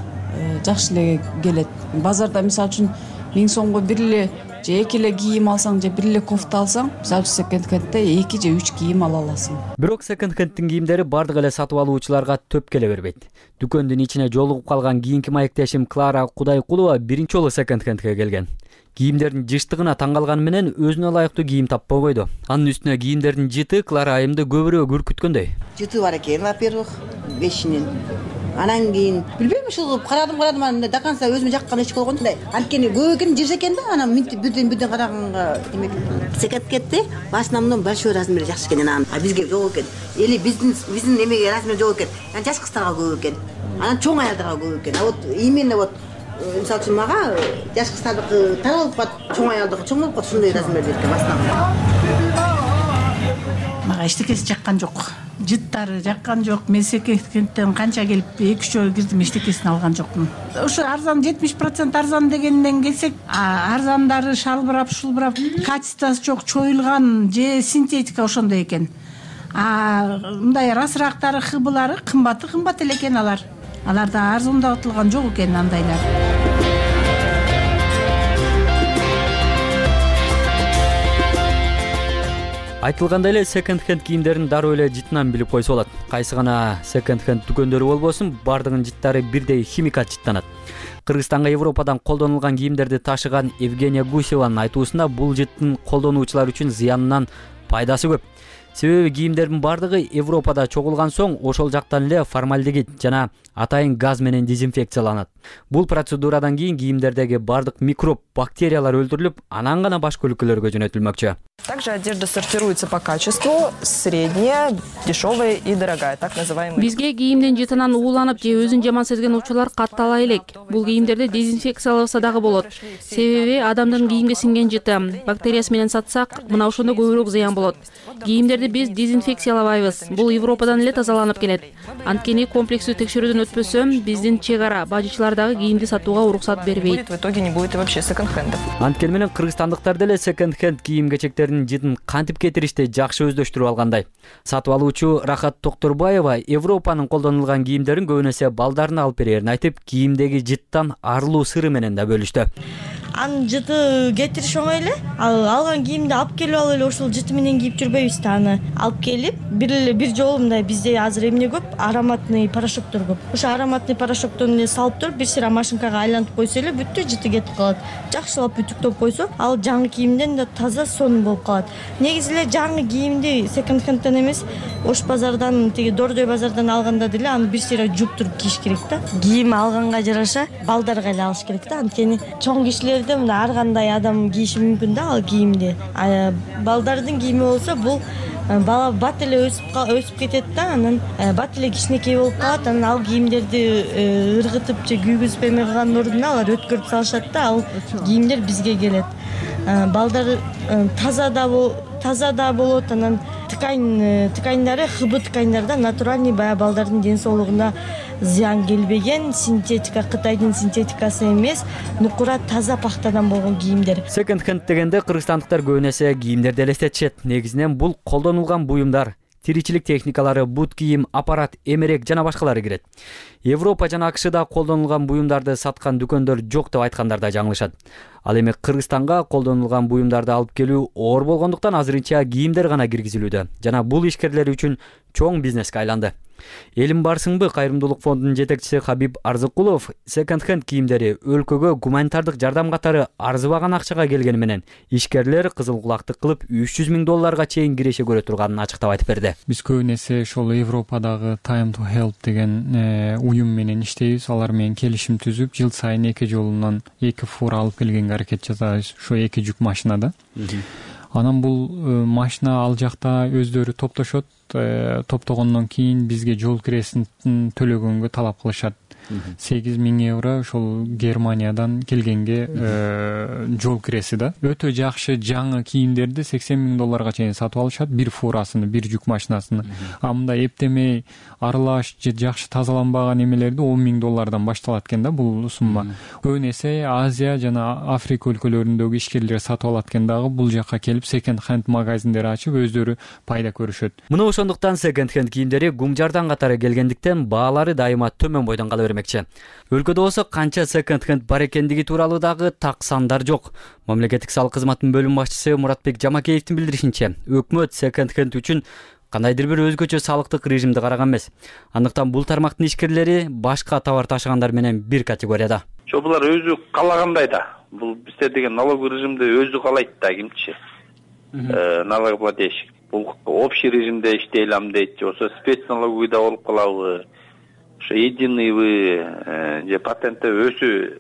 жакшы эле келет. Базарда мисалы үчүн 1000 сомго бир эле же 2 эле кийим алсаң же бир эле кофта алсаң, мисалы үчүн секонд-хендде 2 же 3 кийим ала аласың. Бирок секонд-хенддин кийимдери бардык эле сатып алуучуларга төп келе бербейт. Дүкөндүн ичине жолугуп калган кийинки маектешим Клара Кудайкулова биринчи жолу секонд-хендге келген. Кийимдердин жыштыгына таң калганы менен өзүнө ылайыктуу кийим таппай койду. Анын үстүнө кийимдердин жыты Клара айымды көбүрөөк үркүткөндөй. Жыты бар экен, во-первых, бешинин. Анан кийин билбейм, ушул карадым, анан до конца өзүмө жаккан эч болгондой. Анткени көп экен, жыш экен да, анан бүдөн караганга демек секонд-хендде башынан мындан большой размери жакшы экен, анан бизге жок экен. Или биздин эмеге размери жок экен. Анан жаш кыздарга көп экен. Анан чоң аялдарга көп экен. А вот именно вот мисалы үчүн мага жаш кыздардыкы тар болуп калат, чоң аялдыкы чоң болуп калат, ушундай размерде экен башынан. Мага эчтекеси жаккан жок. Жыттары жаккан жок. Мен секонд-хендден канча келип 2-3 жолу кирдим, эчтекесин алган жокмун. Ушу арзан 70% арзан дегенден келсек, арзандары шалбырап, шулбырап, качествосы жок, чоюлган же синтетика ошондой экен. Мындай расырактары, хыбылары кымбат эле экен алар. Аларда арзандатылган жок экен андайлар. Айтылгандай эле секонд-хенд кийимдерин дароо эле жытынан билип койсо болот. Кайсы гана секонд-хенд дүкөндөрү болбосун, бардыгынын жыттары бирдей химикат жыттанат. Кыргызстанга Европадан колдонулган кийимдерди ташыган Евгения Гусеванын айтуусунда бул жыттын колдонуучулар үчүн зыянынан пайдасы көп. Себеби кийимдердин бардыгы Европада чогулган соң ошол жактан эле формальдегид жана атайын газ менен дезинфекцияланат. Бул процедурадан кийин кийимдердеги бардык микроб, бактериялар өлтүрүлүп, анан гана башка өлкөлөргө жөнөтүлмөкчү. Также одежда сортируется по качеству: средняя, дешевая и дорогая, так называемый. Бизге кийимдин жытынан ууланып же өзүн жаман сезген учурлар каттала элек. Бул кийимдерди дезинфекцияласа дагы болот. Себеби адамдын кийимге сиңген жыты бактериясы менен сатсак, мына ошондо көбүрөөк зыян болот. Кийимдерди биз дезинфекциялабайбыз. Бул Европадан эле тазаланып келет. Анткени комплекстүү текшерүүдөн өтпөсө, биздин чек ара бажычылар дагы кийимди сатууга уруксат бербейт. В итоге не будет вообще секонд-хендов. Анткени менен кыргызстандыктар деле секонд-хенд кийим-кечектердин жытын кантип кетиришти жакшы өздөштүрүп алгандай. Сатып алуучу Рахат Токторбаева Европанын колдонулган кийимдерин көбүнесе балдарына алып берерин айтып, кийимдеги жыттан арылуу сыры менен да бөлүштү. анын жыты кетириш оңой эле. Ал алган кийимди алып келип алып эле ушул жыты менен кийип жүрбөйбүз да. Аны алып келип бир жолу мындай бизде азыр эмне көп, ароматный порошоктор көп. Ошо ароматный порошоктон эле салып туруп бир сыйра машинкага айлантып койсо эле бүттү, жыты кетип калат. Жакшылап бүтүктөп койсо, ал жаңы кийимден да таза сонун болуп калат. Негизи эле жаңы кийимди секонд-хендтен эмес, Ош базардан, тиги Дордой базардан алганда деле аны бир сыйра жуптуруп кийиш керек да. Кийим алганга жараша балдарга эле алыш керек да. Анткени чоң кишилерде мына ар кандай адам кийиши мүмкүн да ал кийимди. Балдардын кийими болсо бул бала бат эле өсүп кетет да, анан бат эле кичинекей болуп калат, анан ал кийимдерди ыргытып же күйгүзүп эме кылгандын ордуна алар өткөрүп салышат да, ал кийимдер бизге келет. Балдар таза да болот, анан тканьдары ХБ тканьдарда натуральный баягы балдардын ден соолугуна зыян келбеген, синтетика, Кытайдын синтетикасы эмес, нукура таза пахтадан болгон кийимдер. Секонд-хенд дегенде кыргызстандыктар көп эсе кийимдерди элестетишет. Негизинен бул колдонулган буюмдар, тиричилик техникалары, бут кийим, аппарат, эмерек жана башкалары кирет. Европа жана АКШда колдонулган буюмдарды саткан дүкөндөр жок деп айткандар да жаңылышат. Ал эми Кыргызстанга колдонулган буюмдарды алып келүү оор болгондуктан азырынча кийимдер гана киргизилүүдө жана бул ишкерлер үчүн чоң бизнеске айланды. Элим барсыңбы кайрымдуулук фондунун жетекчиси Хабиб Арзыкулов секонд-хенд кийимдери өлкөгө гуманитардык жардам катары арзыбаган акчага келгени менен ишкерлер кызыл кулактык кылып $300,000 чейин киреше көрө турганын ачыктап айтып берди. Биз көбүнесе ошол Европадагы Time to Help деген уюм менен иштейбиз. Алар менен келишим түзүп, жыл сайын 2 жолунан 2 фура алып келгенге аракет жасайбыз. Ошо 2 жүк машинада. Анан бул машина ал жакта өздөрү топтошот. Топтогондон кийин бизге жол киресин төлөгөнгө талап кылышат. €8,000 ошол Германиядан келгенге жол киреси да. Өтө жакшы жаңы кийимдерди $80,000 чейин сатып алышат, бир фурасыны, бир жүк машинасыны. А мындай эптемей аралаш же жакшы тазаланбаган эмелерди $10,000 башталат экен да бул сумма. Көбүн эсе Азия жана Африка өлкөлөрүндөгү ишкерлер сатып алат экен дагы бул жакка келип секонд-хенд магазиндер ачып өздөрү пайда көрүшөт. Мына ошондуктан секонд-хенд кийимдери гумжардан катары келгендиктен баалары дайыма төмөн бойдон кала бермекчи. Өлкөдө болсо канча секонд-хенд бар экендиги тууралуу дагы так сандар жок. Мамлекеттик салык кызматынын бөлүм башчысы Муратбек Жамакеевдин билдиришинче, өкмөт секонд-хенд үчүн кандайдыр бир өзгөчө салыктык режимди караган эмес. Андыктан бул тармактын ишкерлери башка товар ташыгандар менен бир категорияда. Булар өзү каалагандай да. Бул бизде деген налоговый режимди өзү каалайт да кимчи. Налогоплательщик. Бул общий режимде иштей алам дейт, ошо спецналоговыйда болуп калабы, ошо единыйбы же патентте өзү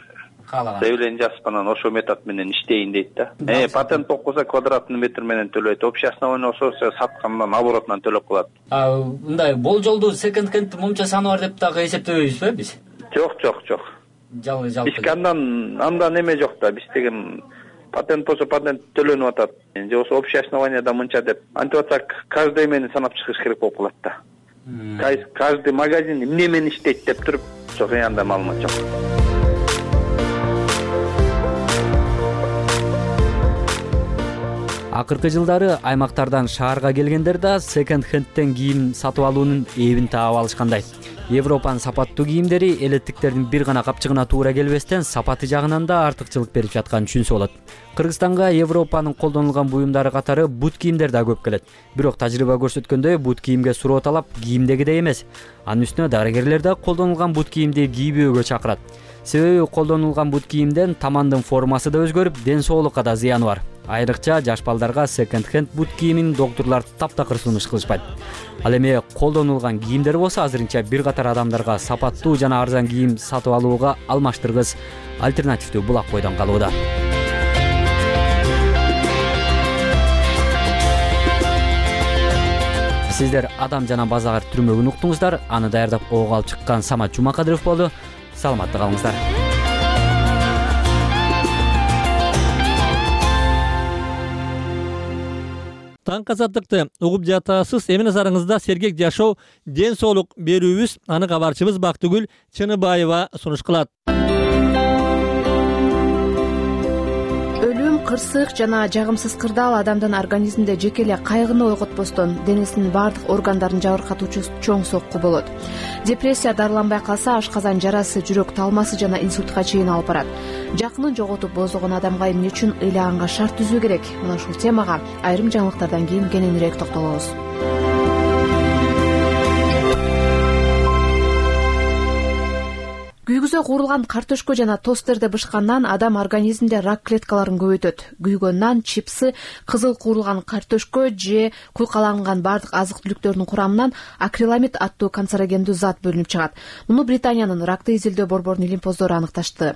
заявление жазып анан ошо метод менен иштейин дейт да. Патент окуса квадратный метр менен төлөйт, общий основание болсо саткандан оборотунан төлөп калат. Мындай болжолдуу секонд-хенд момча саны бар деп дагы эсептебейбизби биз? Жок. Биз андан эме жок да, биз деген патент болсо патент төлөнүп атат. Же болсо общий основанияда мынча деп. Антип атсак, каждый эмени санап чыгыш керек болуп калат да. Каждый магазин эмне менен иштейт деп туруп, жок андай маалымат жок. Акыркы жылдары аймактардан шаарга келгендер да секонд-хендтен кийим сатып алуунун эбин таап алышкандай. Европанын сапаттуу кийимдери элеттиктердин бир гана капчыгына туура келбестен сапаты жагынан да артыкчылык берип жатканын түшүнсө болот. Кыргызстанга Европанын колдонулган буюмдары катары бут кийимдер да көп келет. Бирок тажрыйба көрсөткөндөй бут кийимге суроо талап кийимдегидей эмес. Анын үстүнө дарыгерлер да колдонулган бут кийимди кийбөөгө чакырат. Себеби колдонулган бут кийимден тамандын формасы да өзгөрүп, ден соолукка да зыяны бар. Айрыкча жаш балдарга секонд-хенд бут кийимин доктурлар таптакыр сунуш кылышпайт. Ал эми колдонулган кийимдер болсо азырынча бир катар адамдарга сапаттуу жана арзан кийим сатып алууга алмаштыргыс альтернативдүү булак бойдон калууда. Сиздер Адам жана базар түрмөгүн уктуңуздар. Аны даярдап ого алып чыккан Самат Жумакадыров болду. Саламатта калыңыздар. Таңкы азаттыкты угуп жатасыз. Эмне назарыңызда сергек жашоо, ден соолук берүүбүз. Аны кабарчыбыз Бактыгүл Чыныбаева сунуш кылат. Өлүм кырсык жана жагымсыз кырдаал адамдын организминде жеке эле кайгыны ойготпостон денесинин баардык органдарын жабыркатуучу чоң сокку болот. Депрессия дарыланбай калса ашказан жарасы, жүрөк талмасы жана инсультка чейин алып барат. Жакынын жоготуп боздогон адамга эмне үчүн ыйлаганга шарт түзүү керек? Мына ушул темага айрым жаңылыктардан кийин кененирээк токтолобуз. Күйгүзө куурулган картөшкө жана тосттерди бышкандан адам организминде рак клеткаларын көбөйтөт. Күйгөн нан, чипсы, кызыл куурулган картөшкө же куйкаланган бардык азык-түлүктөрдүн курамынан акриламид аттуу канцерогендүү зат бөлүнүп чыгат. Муну Британиянын ракты изилдөө борборунун илимпоздору аныкташты.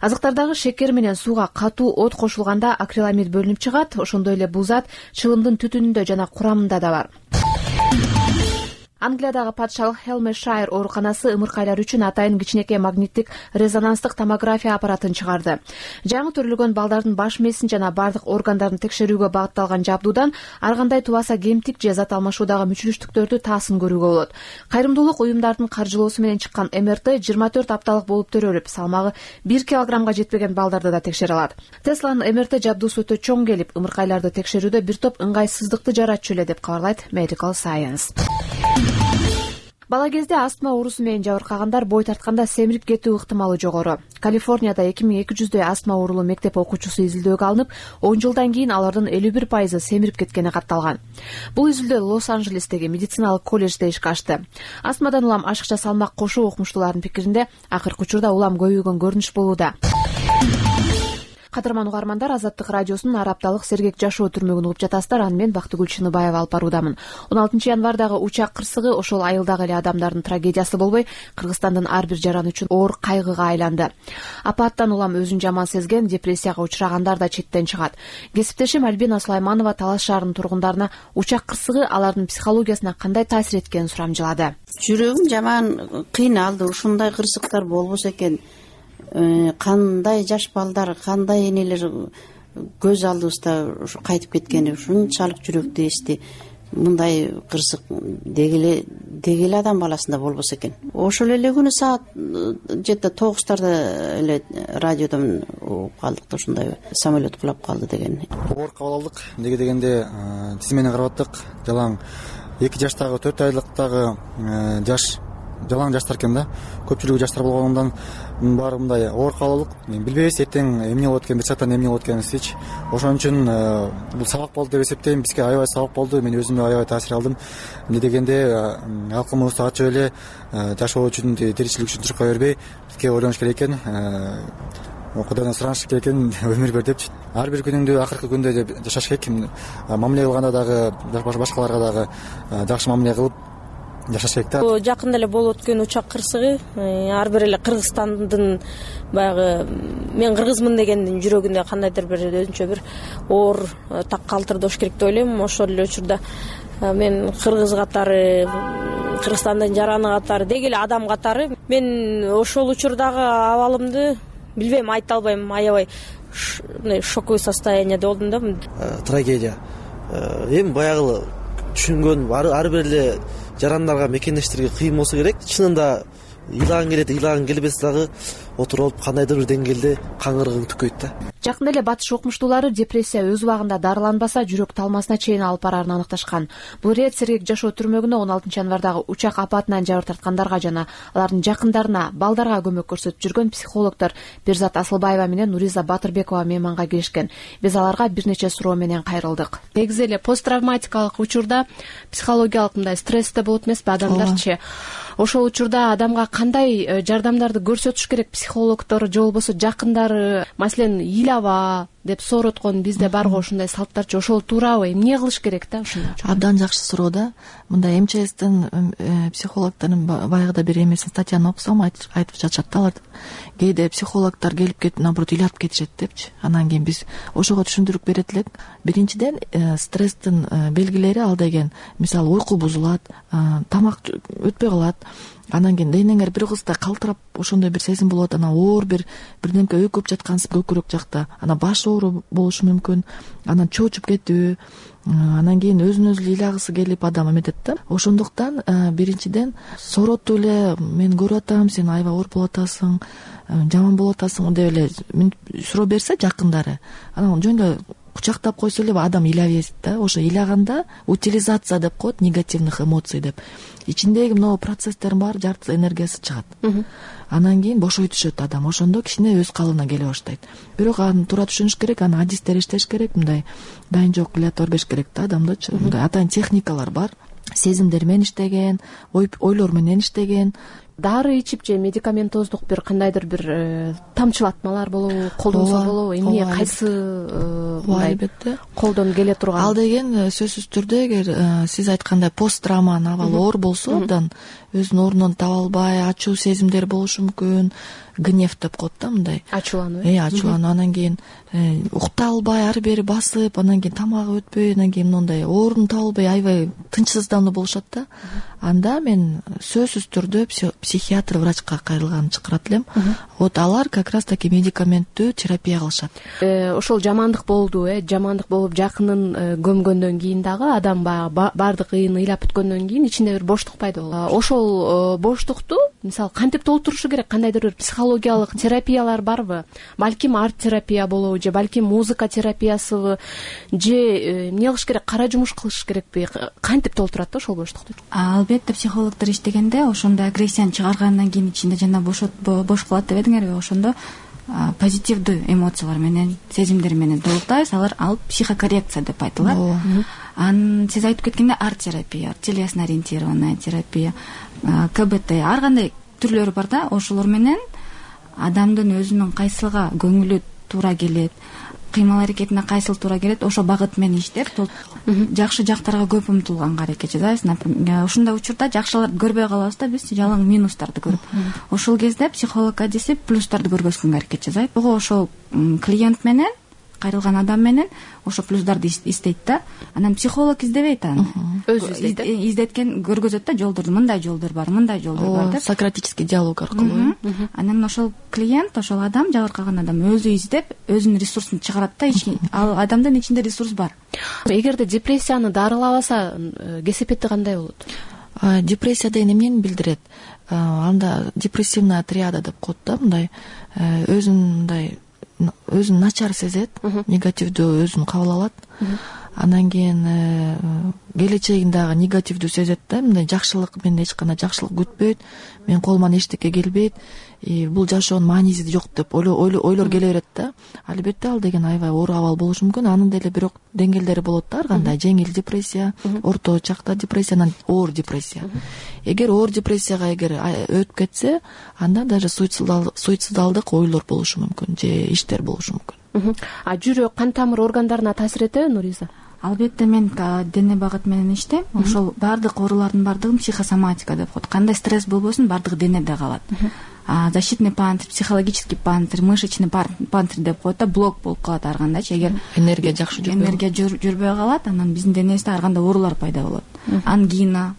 Азыктардагы шекер менен сууга катуу от кошулганда акриламид бөлүнүп чыгат. Ошондой эле бул зат чылымдын түтүнүндө жана курамында да бар. Англиядагы патшалык Хелмешайр ооруканасы ымыркайлар үчүн атайын кичинекей магниттик резонанстык томография аппаратын чыгарды. Жаңы төрөлгөн балдардын баш мээсин жана бардык органдарын текшерүүгө багытталган жабдуудан ар кандай тубаса кемтик же зат алмашуудагы мүчүлүштүктөрдү таасын көрүүгө болот. Кайрымдуулук уюмдардын каржылоосу менен чыккан МРТ 24 апталык болуп төрөлүп, салмагы 1 килограммга жетпеген балдарды да текшере алат. Тесланын МРТ жабдуусу өтө чоң келип, ымыркайларды текшерүүдө бир топ ыңгайсыздыкты жаратчу эле деп кабарлайт Medical Science. Бала кезде астма оорусу менен жабыркагандар бой тартканда семирип кетүү ыктымалы жогору. Калифорнияда 2200дөй астма оорулуу мектеп окуучусу изилдөөгө алынып, 10 жылдан кийин алардын 51% семирип кеткени катталган. Бул изилдөө Лос-Анджелестеги медициналык колледжде ишке ашты. Астмадан улам ашыкча салмак кошуу окумуштуулардын пикиринде акыркы учурда улам көбөйгөн көрүнүш болууда. Кадырман угармандар, Азаттык радиосунун ар апталык сергек жашоо түрмөгүн угуп жатасыздар. Аны мен Бактыгүл Чыныбаева алып баруудамын. 16 январдагы учак кырсыгы ошол айылдагы эле адамдардын трагедиясы болбой, Кыргызстандын ар бир жараны үчүн оор кайгыга айланды. Апаттан улам өзүн жаман сезген, депрессияга учурагандар да четтен чыгат. Кесиптешим Альбина Сулайманова Талас шаарынын тургундарына учак кырсыгы алардын психологиясына кандай таасир эткенин сурамжылады. Жүрөгүм жаман кыйналды. Ушундай кырсыктар болбосо экен. Кандай жаш балдар, кандай энелер көз алдыбызда кайтып кеткени ушунчалык жүрөктү эсти. Мындай кырсык деги эле адам баласында болбосо экен. Ошол эле күнү саат жети 9-тарда эле радиодон угуп калдык да, ушундай самолет кулап калды деген. Оор кабыл алдык. Эмнеге дегенде тизмени карап аттык. Жалаң 2 жаштагы 4 айлыктагы жаш жалаң жаштар экен да. Көпчүлүгү жаштар болгондон баары мындай оор кабыл алдык. Билбейбиз эртең эмне болот экен, бир сааттан эмне болот экенинчи. Ошон үчүн бул сабак болду деп эсептейм. Бизге аябай сабак болду. Мен өзүмө аябай таасир алдым. Эмне дегенде алкымыбызды ачып эле жашоо үчүн, тиричилик үчүн чуркай бербей, бизге ойлонуш керек экен. Кудайдан сураныш керек экен, өмүр бер депчи. Ар бир күнүңдү акыркы күндө деп жашаш керек. Мамиле кылганда дагы башкаларга дагы жакшы мамиле кылып жашаш керек да. Жакында эле болуп өткөн учак кырсыгы ар бир эле Кыргызстандын баягы мен кыргызмын дегендин жүрөгүндө кандайдыр бир өзүнчө бир оор так калтырдош керек деп ойлойм. Ошол эле учурда мен кыргыз катары, Кыргызстандын жараны катары, деги эле адам катары мен ошол учурдагы абалымды билбейм, айта албайм. Аябай мындай шоковый состоянияда болдум да. Трагедия. Эми баягы түшүнгөн ар бир эле жарандарга, мекендештерге кыйын болсо керек. Чынында ыйлаган келет, ыйлаган келбес дагы отуруп кандайдыр бир деңгээлде каңгырыгың түкөйт да. Жакында эле батыш окумуштуулары депрессия өз убагында дарыланбаса жүрөк талмасына чейин алып барарын аныкташкан. Бул рет сергек жашоо түрмөгүнө 16 январдагы учак апатынан жабыр тарткандарга жана алардын жакындарына, балдарга көмөк көрсөтүп жүргөн психологдор Берзат Асылбаева менен Нуриза Батырбекова мейманга келишкен. Биз аларга бир нече суроо менен кайрылдык. Негизи эле посттравматикалык учурда психологиялык мындай стрессте болот эмеспи адамдарчы? Ошол учурда адамга кандай жардамдарды көрсөтүш керек психологдор же болбосо жакындары? Маселен, ыйлаба деп сороткон бизде барго ушундай салттарчы, ошол туурабы? Эмне кылыш керек да ушундай? Абдан жакшы суроо да. Мындай МЧСтин психологдордун баягыда бир эмесин статьяны окусам айтып жатышат да, алар кээде психологдор келип кетип, наоборот, ыйлап кетишет депчи. Анан кийин биз ошого түшүндүрүп берет элек. Биринчиден, стресстин белгилери ал деген, мисалы, уйку бузулат, тамак өтпөй калат. Анан кийин денеңер бир кызда калтырап ошондой бир сезим болот. Анан оор бирдемке өкүп жаткансың көкүрөк жакта. Анан баш оору болушу мүмкүн. Анан чоочуп кетүү, анан кийин өзүн өзү ыйлагысы келип адам эметет да. Ошондуктан биринчиден соротуп эле мен көрүп атам, сен аябай ооруп болуп атасың, жаман болуп атасың деп эле суроо берсе жакындары, анан жөн эле кучактап койсо эле адам ыйлай берет да. Ошо ыйлаганда утилизация деп коет, негативных эмоций деп. Ичиндеги могу процесстердин баары жартысы энергиясы чыгат. Анан кийин бошой түшөт адам. Ошондо кичине өз калыбына келе баштайт. Бирок аны туура түшүнүш керек, аны адистер иштеш керек, мындай дайын жок илат бербеш керек да адамдычы. Мындай атайын техникалар бар. Сезимдер менен иштеген, ойлор менен иштеген. Дары ичип же медикаментоздук бир кандайдыр бир тамчылатмалар болобу, колдонсо болобу, эмне кайсы албетте колдон келе турган? Ал деген сөзсүз түрдө эгер сиз айткандай пост травманын абалы оор болсо, абдан өзүнүн ордунун таба албай, ачуу сезимдер болушу мүмкүн, гнев деп коет да, мындай ачуулануу. Ачуулануу, анан кийин укта албай, ары бери басып, анан кийин тамагы өтпөй, анан кийин мындай орун таба албай, аябай тынчсыздануу болушат да. Анда мен сөзсүз түрдө психиатр, врачка кайрылганын чакырат элем. Вот алар как раз таки медикаменттүү терапия кылышат. Ошол жамандык болду, жамандык болуп жакынын көмгөндөн кийин дагы адам баардык ыйын ыйлап бүткөндөн кийин ичинде бир боштук пайда болот. Ошол боштукту мисалы кантип толтурушу керек? Кандайдыр бир психологиялык терапиялар барбы? Балким арт терапия болобу, же балким музыка терапиясыбы, же эмне кылыш керек? Кара жумуш кылыш керекпи? Кантип толтурат да ошол боштукту? Албетте психологдор иштегенде ошондой агрессияны чыгаргандан кийин ичинде жана бош калат деп эдиңерби, ошондо позитивдүү эмоциялар менен, сезимдер менен толуктайбыз. Ал психокоррекция деп айтылат. Сиз айтып кеткенде арт терапия, телесно ориентированная терапия, КБТ, ар кандай түрлөрү бар да. Ошолор менен адамдын өзүнүн кайсылга көңүлү туура келет, кыймыл аракетине кайсыл туура келет, ошол багыт менен иштеп жакшы жактарга көп умтулганга аракет жасайбыз. Например, ушундай учурда жакшыларды көрбөй калабыз да, биз жалаң минустарды көрүп. Ошол кезде психолог адиси плюстарды көргөзгөнгө аракет жасайт. Ошол клиент менен, кайрылган адам менен ошо плюстарды издейт да. Анан психолог издебейт аны. Өзү издейт. Издеткен көргөзөт да, жолдорду, мындай жолдор бар, мындай жолдор бар деп. Сократический диалог аркылуу. Анан ошол клиент, ошол адам, жабыркаган адам өзү издеп, өзүнүн ресурсун чыгарат да. Ал адамдын ичинде ресурс бар. Эгерде депрессияны дарылабаса, кесепети кандай болот? Депрессия деген эмнени билдирет? Анда депрессивная триада деп коет да, мындай өзүн начар сезет, негативдүү өзүн кабыл алат. Анан кийин келечегин дагы негативдүү сезет да, мындай жакшылык, мен эч кандай жакшылык күтпөйт, мен колуман эчтеке келбейт, бул жашоонун мааниси жок деп ойлор келе берет да. Албетте ал деген аябай оор абал болушу мүмкүн. Анын деле бирок деңгээлдери болот да, ар кандай жеңил депрессия, орто чакта депрессия, анан оор депрессия. Эгер оор депрессияга өтүп кетсе, анда даже суицидалдык ойлор болушу мүмкүн, же иштер болушу мүмкүн. Жүрөк, кан тамыр органдарына таасир этеби, Нуриза? Албетте, мен дене багыт менен иштейм. Ошол баардык оорулардын баардыгын психосоматика деп коет. Кандай стресс болбосун, баардыгы денеде калат. Защитный панцирь, психологический панцирь, мышечный панцирь деп коет да, блок болуп калат ар кандайчы. Эгер энергия жакшы жүрбөй калат, анан биздин денебизде ар кандай оорулар пайда болот. Ангина,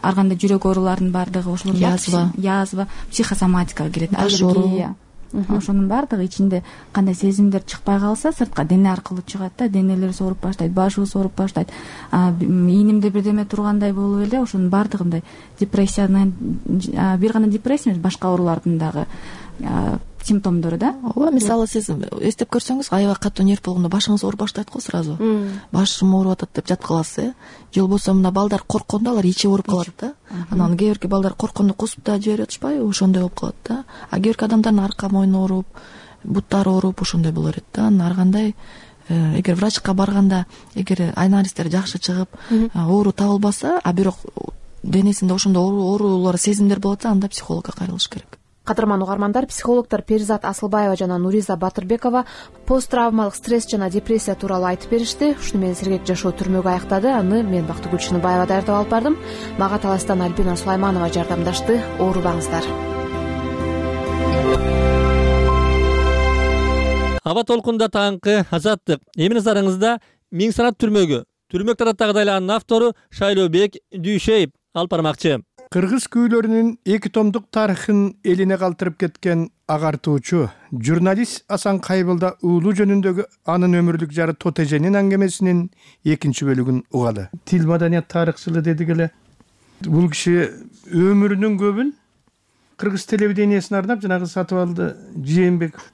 ар кандай жүрөк ооруларынын баардыгы, ошолор язва, психосоматикага кирет, аллергия. Ошонун баардыгы ичинде кандай сезимдер чыкпай калса, сыртка дене аркылуу чыгат да, денелер сооруп баштайт, башыбыз ооруп баштайт, ийнимде бирдеме тургандай болуп эле, ошонун баардыгы мындай депрессиянын, бир гана депрессия эмес, башка оорулардын дагы симптомдору да. Ооба, мисалы сиз эстеп көрсөңүз, аябай катуу нерв болгондо башыңыз ооруп баштайт го сразу. Башым ооруп атат деп жатып каласыз, же болбосо мына балдар корккондо алар ичи ооруп калат да. Анан кээ бирки балдар корккондо кусуп да жиберип атышпайбы, ошондой болуп калат да. Кээ бирки адамдардын арка мойну ооруп, буттары ооруп, ошондой боло берет да. Ар кандай эгер врачка барганда, эгер анализдер жакшы чыгып, оору табылбаса, бирок денесинде ошондой оорулар, сезимдер болот, анда психологко кайрылыш керек. Кадырман угармандар, психологдор Перизат Асылбаева жана Нуриза Батырбекова посттравмалык стресс жана депрессия тууралуу айтып беришти. Ушуну менен сергек жашоо түрмөгү аяктады. Аны мен Бактыгүл Чыныбаева даярдап алып бардым. Мага таластан Альбина Сулайманова жардамдашты. Оорубаңыздар. Аба толкунда таңкы азаттык. Эми назарыңызда Миң санат түрмөгү. Түрмөк тараттагы дайланын автору Шайлообек Дүйшеев алып бармакчы. Кыргыз күүлөрүнүн 2 томдук тарыхын элине калтырып кеткен агартуучу журналист Асан Кайбылда уулу жөнүндөгү анын өмүрлүк жары Тотеженин аңгемесинин 2 бөлүгүн угалы. Тил маданият тарыхчылы дедик эле. Бул киши өмүрүнүн көбүн кыргыз телевидениясына арнап жанагы Сатыбалды Жээнбеков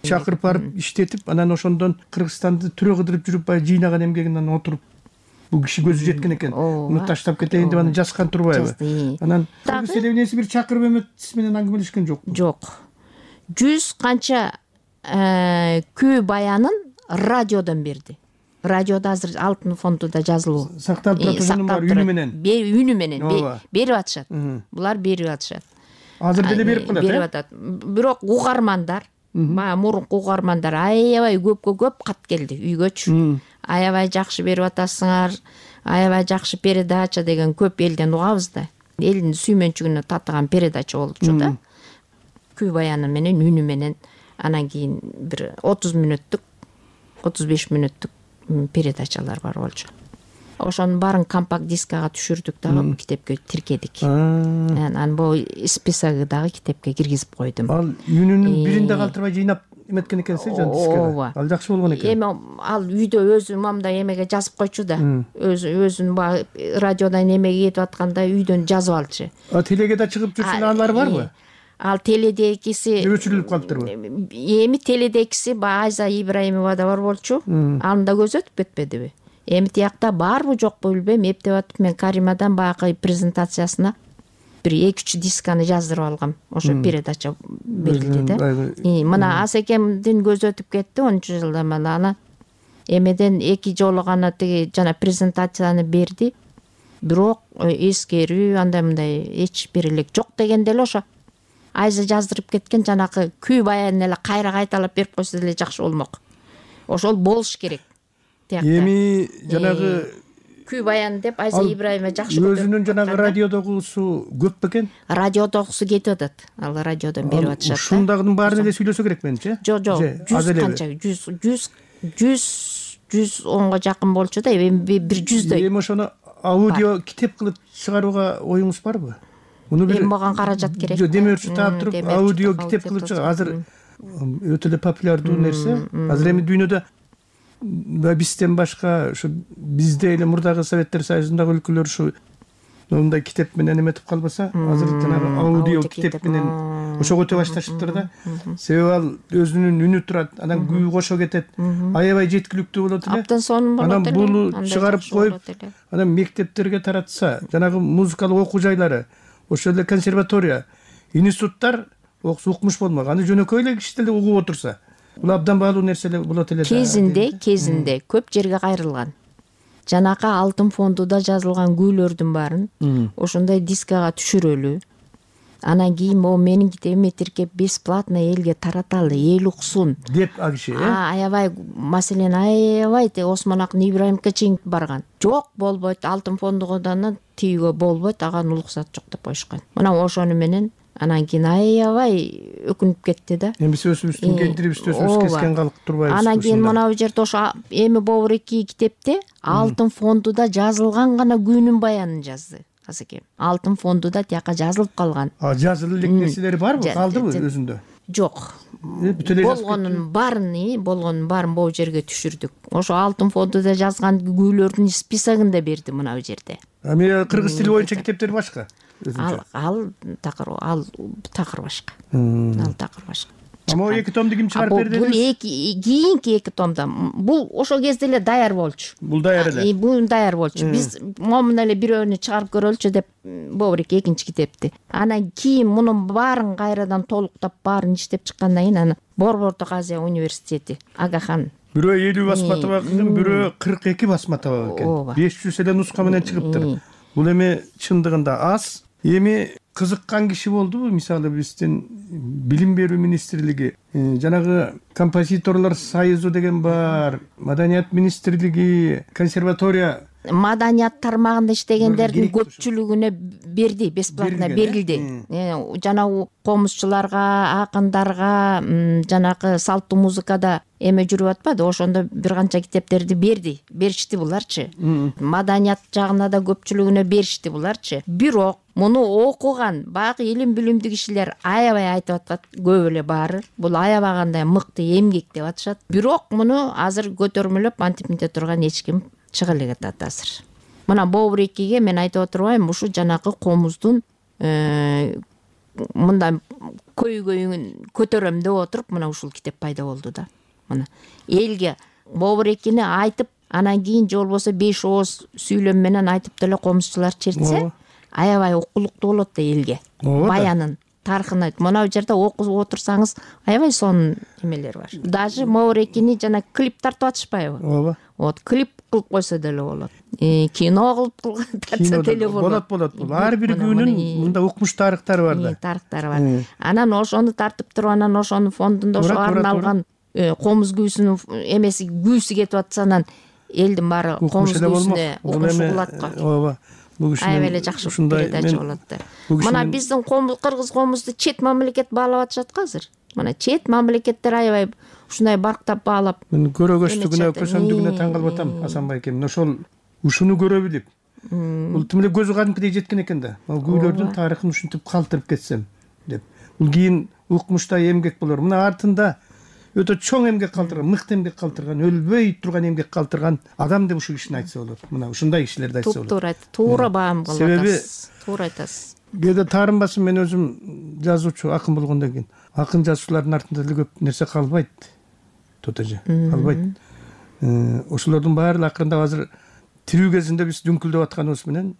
чакырып барып иштетип, анан ошондон Кыргызстанды түрө кыдырып жүрүп баягы жыйнаган эмгегинен отуруп бул киши көзү жеткен экен. Муну таштап кетейин деп анан жазган турбайбы? Анан кыргыз телевидениясы бир чакырып эметиси менен аңгемелешкен жокпу? Жок. 100 канча күү баянын радиодон берди. Радиода азыр алтын фондунда жазылуу. Сакталып турат, ошонун бар үнү менен. Үнү менен берип атышат. Булар берип атышат. Азыр деле берип калат. Берип атат. Бирок угармандар, мурунку угармандар аябай көп кат келди үйгөчү. Аябай жакшы берип атасыңар, аябай жакшы передача деген көп элден угабыз да. Элдин сүймөнчүгүнө татыган передача болчу да. Күү баяны менен үнү менен анан кийин бир 30 мүнөттүк, 35 мүнөттүк передачалар бар болчу. Ошонун баарын компакт дискага түшүрдүк дагы, китепке тиркедик. Анан бул списогу дагы китепке киргизип койдум. Ал үнүнүн биринде калтырбай жыйнап эметкен экенсиз жан дискеге. Ал жакшы болгон экен. Эми ал үйдө өзү мамда эмеге жазып койчу да. Өзүн радиодан эмеге кетип атканда үйдөн жазып алчу. Телеге да чыгып жүрсүн алар барбы? Ал теледегиси өчүрүлүп калыптырбы? Эми теледегиси Айза Ибраимова да бар болчу. Аны да көз өтүп кетпедиби? Эми тиякта барбы жокпу билбейм, эптеп атып мен Каримадан баягы презентациясына бир 2-3 дисканы жаздырып алгам. Ошо передача берилди да. Мына Асекемдин көз өтүп кетти 10 жылда мана. Эмеден 2 жолу гана тиги жана презентацияны берди. Бирок эскерүү андай мындай эч бир элек жок дегенде эле ошо Айза жаздырып кеткен жанакы күү баянын эле кайра кайталап берип койсо деле жакшы болмок. Ошол болуш керек. Эми жанагы күү баян деп Айза Ибраимова жакшы көрүп. Өзүнүн жанагы радиодогусу көп бекен? Радиодогусу кетип атат. Ал радиодон берип атышат. Ушундагынын баарын эле сүйлөсө керек менимче. Жок, 100 канча 110го жакын болчу да, эми бир 100дөй. Эми ошону аудио китеп кылып чыгарууга оюңуз барбы? Муну бир мага каражат керек. Демөөрчү таап туруп аудио китеп кылып чыгар. Азыр өтө эле популярдуу нерсе. Азыр эми дүйнөдө бизден башка ушу бизде эле мурдагы Советтер Союзундагы өлкөлөр ушу мындай китеп менен эметип калбаса, азыр жанагы аудио китеп менен ошого өтө башташыптыр да. Себеби ал өзүнүн үнү турат, анан күү кошо кетет. Аябай жеткиликтүү болот эле. Абдан сонун болот эле. Анан буну чыгарып коюп, анан мектептерге таратса, жанагы музыкалык окуу жайлары, ошол эле консерватория, институттар укмуш болмок. Аны жөнөкөй эле киши деле угуп отурса, бул абдан баалуу нерселер болот эле. Кезинде көп жерге кайрылган. Жанакы алтын фондуда жазылган күүлөрдүн баарын ошондой дискага түшүрөлү. Анан кийин могу менин китебиме тиркеп бесплатно элге тараталы, эл уксун деп агышы. Аябай, маселен аябай Осмон Акын Ибраимовго чейин барган. Жок, болбойт, алтын фондудан тийүүгө болбойт, ага уруксат жок деп коюшкан. Мына ошону менен анан кийин аябай өкүнүп кетти да. Эми биз өзүбүздүн кендирибизди өзүбүз кескен калып турбайбыз. Анан кийин мына бул жерде ошо эми Бобуреки китепте алтын фондуда жазылган гана күүнүн баянын жазды Асекем. Алтын фондуда тияка жазылып калган. Жазылып элек нерселери барбы? Калдыбы өзүндө? Жок. Болгонун баарын бул жерге түшүрдүк. Ошо алтын фондуда жазган күүлөрдүн списогун да берди мына бул жерде. Эми кыргыз тили боюнча китептер башка. Ал такыр башка. Ал такыр башка. Ама 2 томду ким чыгарып берди? Бул кийинки 2 томдо. Бул ошол кезде эле даяр болчу. Бул даяр эле. Бул даяр болчу. Биз момун эле бирөөнү чыгарып көрөлүчү деп Бобурек 2-чи китепти. Анан кийин мунун баарын кайрадан толуктап баарын иштеп чыккандан кийин аны Борбордук Азия университети Агахан. Бирөө 50 басма табак экен, бирөө 42 басма табак экен. 500 эле нуска менен чыгыптыр. Бул эми чындыгында аз. Эми кызыккан киши болдубу? Мисалы биздин билим берүү министрлиги, жанагы композиторлор союзу деген бар, маданият министрлиги, консерватория. Маданият тармагында иштегендердин көпчүлүгүнө берди, бесплатно берилди. Жана комузчуларга, акындарга, жанагы салттуу музыкада эме жүрүп атпады, ошондо бир канча китептерди беришти буларчы. Маданият жагына да көпчүлүгүнө беришти буларчы. Бирок муну окуган баягы илим билимдүү кишилер аябай айтып атат, көп эле баары. Бул аябагандай мыкты эмгек деп атышат. Бирок муну азыр көтөрмөлөп антип мынте турган эч ким чыга эле атат азыр. Мына Бобурекиге мен айтып отурбайм, ушу жанагы комуздун мындай көйгөйүн көтөрөм деп отуруп мына ушул китеп пайда болду да. Мына элге Бобурекини айтып, анан кийин же болбосо 5 ооз сүйлөм менен айтып деле комузчулар чертсе, аябай окулуктуу болот да элге. Баянын тарыхын айтып, мына бу жерде окуп отурсаңыз аябай сонун эмелер бар. Даже Бобурекини жана клип тартып атышпайбы? Ооба. Вот клип кылып койсо деле болот. Кино кылып тартса деле болот. Болот. Бул ар бир күнүн мында укмуш тарыхтары бар да. Тарыхтары бар. Анан ошону тартып туруп, анан ошонун фондунда ошо арналган комуз күүсүнүн эмеси күүсү кетип атса, анан элдин баары комуз күүсүнө укмушу кылат го. Ооба. Аябай эле жакшы передача болот да. Мына биздин кыргыз комузду чет мамлекет баалап атышат го азыр. Мына чет мамлекеттер аябай ушундай барктап баалап. Мен көрөгөчтүгүнө, көсөмдүгүнө таң калып атам, Асанбай эке. Ошол ушуну көрө билип, бул тим эле көзү кадимкидей жеткен экен да. Ал күүлөрдүн тарыхын ушинтип калтырып кетсем деп. Бул кийин укмуштай эмгек болор. Мына артында өтө чоң эмгек калтырган, мыкты эмгек калтырган, өлбөй турган эмгек калтырган адам деп ушул кишини айтса болот. Мына ушундай кишилерди айтса болот. Туура айт, туура баам кылып атасыз. Туура айтасыз. Кээде таарынбасын, мен өзүм жазуучу, акын болгондон кийин акын жазуучулардын артында деле көп нерсе калбайт. Тотоже калбайт. Ошолордун баары акырындап азыр тирүү кезинде биз дүңкүлдөп атканыбыз менен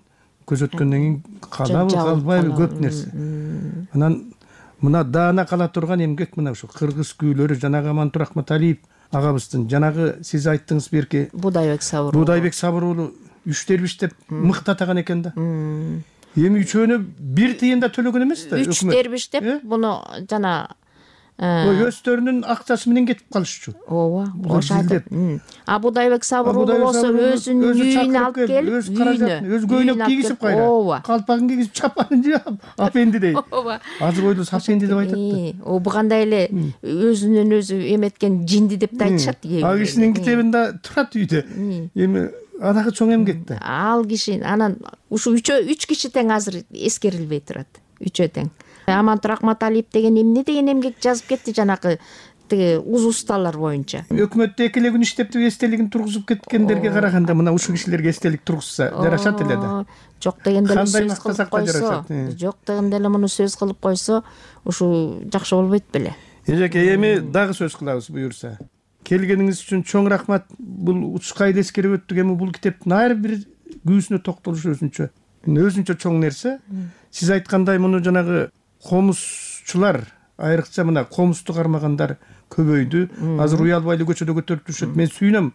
көз өткөндөн кийин калбайбы көп нерсе. Анан мына даана кала турган эмгек мына ушу кыргыз күүлөрү, жанагы Амантур Акматалиев агабыздын, жанагы сиз айттыңыз берки Будайбек Сабыр уулу 3 дербиш деп мыктатаган экен да. Эми үчөөнө бир тыйын да төлөгөн эмес да. 3 дербиш деп буну жана өздөрүнүн акчасы менен кетип калышчу. Ооба, ошо айтып. Будайбек Сабыр уулу болсо өзүнүн үйүнө алып келип, өз каражатын, өз көйнөк кийгизип кайра. Калпагын кийгизип, чапанын жаап, апенди дейт. Азыр ойлосо сапенди деп айтат да. Бу кандай эле өзүнөн өзү эметкен жинди деп да айтышат. А кишинин китебинде турат үйдө. Эми анагы чоң эмгек да. Ал киши анан ушу 3 киши тең азыр эскерилбей турат. 3 тең. Амантур Акматалиев деген эмне деген эмгек жазып кетти жанагы тиги уз усталар боюнча. Өкмөттө 2 күн иштеп эстелигин тургузуп кеткендерге караганда мына ушул кишилерге эстелик тургузса жарашат эле да. Жок дегенде эле сөз кылып койсо, жок дегенде эле муну сөз кылып койсо, ушу жакшы болбойт беле. Эжеке, эми дагы сөз кылабыз буюрса. Келгениңиз үчүн чоң рахмат. Бул учка эле эскерип өттүк. Эми бул китептин ар бир күүсүнө токтолуш өзүнчө чоң нерсе. Сиз айткандай муну жанагы комузчулар, айрыкча мына комузду кармагандар көбөйдү. Азыр уялбай эле көчөдө көтөрүп жүрүшөт. Мен сүйүнөм.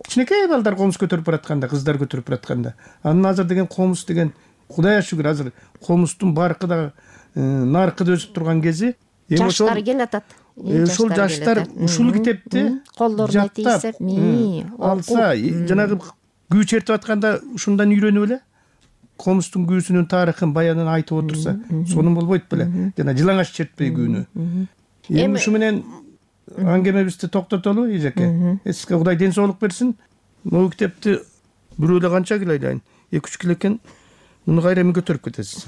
Кичинекей балдар комуз көтөрүп баратканда, кыздар көтөрүп баратканда. Анын азыр деген комуз деген, Кудайга шүгүр, азыр комуздун баркы да наркы да өсүп турган кези. Жаштар келатат. Ушул жаштар ушул китепти колдоруна тийсеп, алса, жанагы күү чертип атканда ушундан үйрөнүп эле комуздун күүсүнүн тарыхын, баянын айтып отурса, сонун болбойт беле? Жана жылаңач чертпей күүнү. Эми ушу менен аңгемебизди токтотолу, эжеке. Сизге Кудай ден соолук берсин. Могу китепти бирөө эле канча кило айдайын? 2-3 кило экен. Муну кайра эми көтөрүп кетесиз.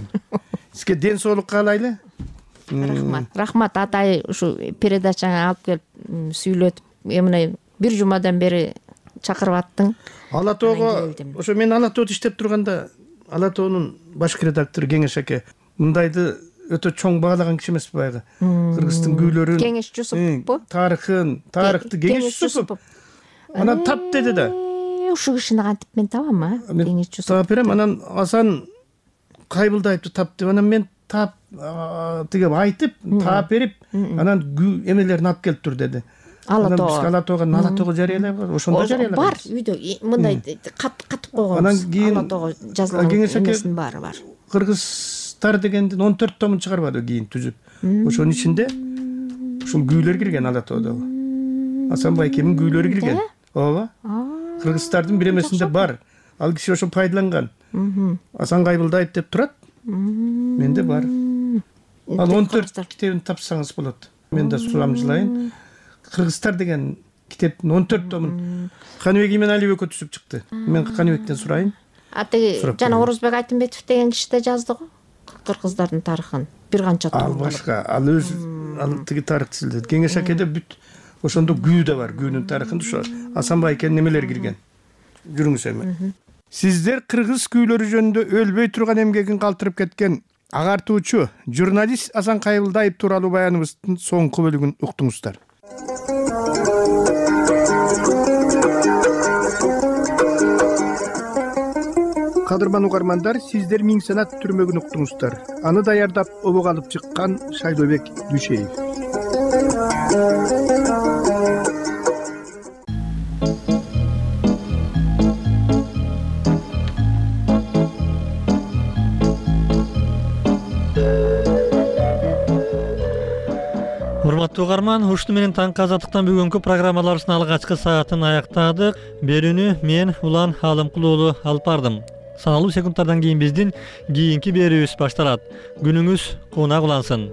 Сизге ден соолук каалайлы. Рахмат атай, ушу передачаңа алып келип сүйлөтүп, эмне бир жумадан бери чакырып аттың. Ала тоого, ошо мен Ала тоодо иштеп турганда, Ала тоонун башкы редактору Кеңеш аке мындайды өтө чоң баалаган киши эмеспи баягы? Кыргыздын күүлөрүн, Кеңеш Жусупов, тарыхты Кеңеш Жусупов. Анан тап деди да. Ушу кишини кантип мен табам, Кеңеш Жусупов. Таап берем, анан Асан Кайбылдаевди тап деп, анан мен тап тиге айтып, таап берип, анан эмелерин алып келип тур деди. Ала тоого жарыялайбы? Ошондо жарыялайбыз. Бар, үйдө мындай катып койгонбуз. Анан кийин Ала тоого жазылган эмесинин баары бар. Кыргызстар дегендин 14 томун чыгарбады кийин түзүп. Ошонун ичинде ушул күүлөр кирген Ала тоодо. Асанбай экемин күүлөрү кирген. Ооба. Кыргызстардын бир эмесинде бар. Ал киши ошо пайдаланган. Асан Кайбылдаев деп турат. Менде бар. Ал 14 китебин тапсаңыз болот. Мен да сурамжылайын. Кыргызстар деген китептин 14 томун Каныбек Иманалиевке түзүп чыкты. Мен Каныбектен сурайын. Атеги жана Орозбек Айтымбетов деген киши да жазды го. Кыргыздардын тарыхын бир канча том. Ал башка, ал өзү ал тиги тарыхты сүйлөйт. Кеңеш акеде бүт ошондо күү да бар. Күүнүн тарыхында ошо Асанбай экен немелер кирген. Жүрүңүз эми. Сиздер кыргыз күүлөрү жөнүндө өлбөй турган эмгегин калтырып кеткен агартуучу журналист Асан Кайбылдаев тууралуу баяныбыздын соңку бөлүгүн уктуңуздар. Кадырман угармандар, сиздер Миң Санат түрмөгүн уктуңуздар. Аны даярдап обок алып чыккан Шайлообек Дүйшеев. Урматтуу угарман, ушуну менен таңкы азаттыктан бүгүнкү программаларыбыздын алгачкы саатын аяктадык. Берүүнү мен Улан Алымкул уулу алып бардым. Саналуу секундтардан кийин биздин кийинки берүүбүз башталат. Күнүңүз кунак улансын.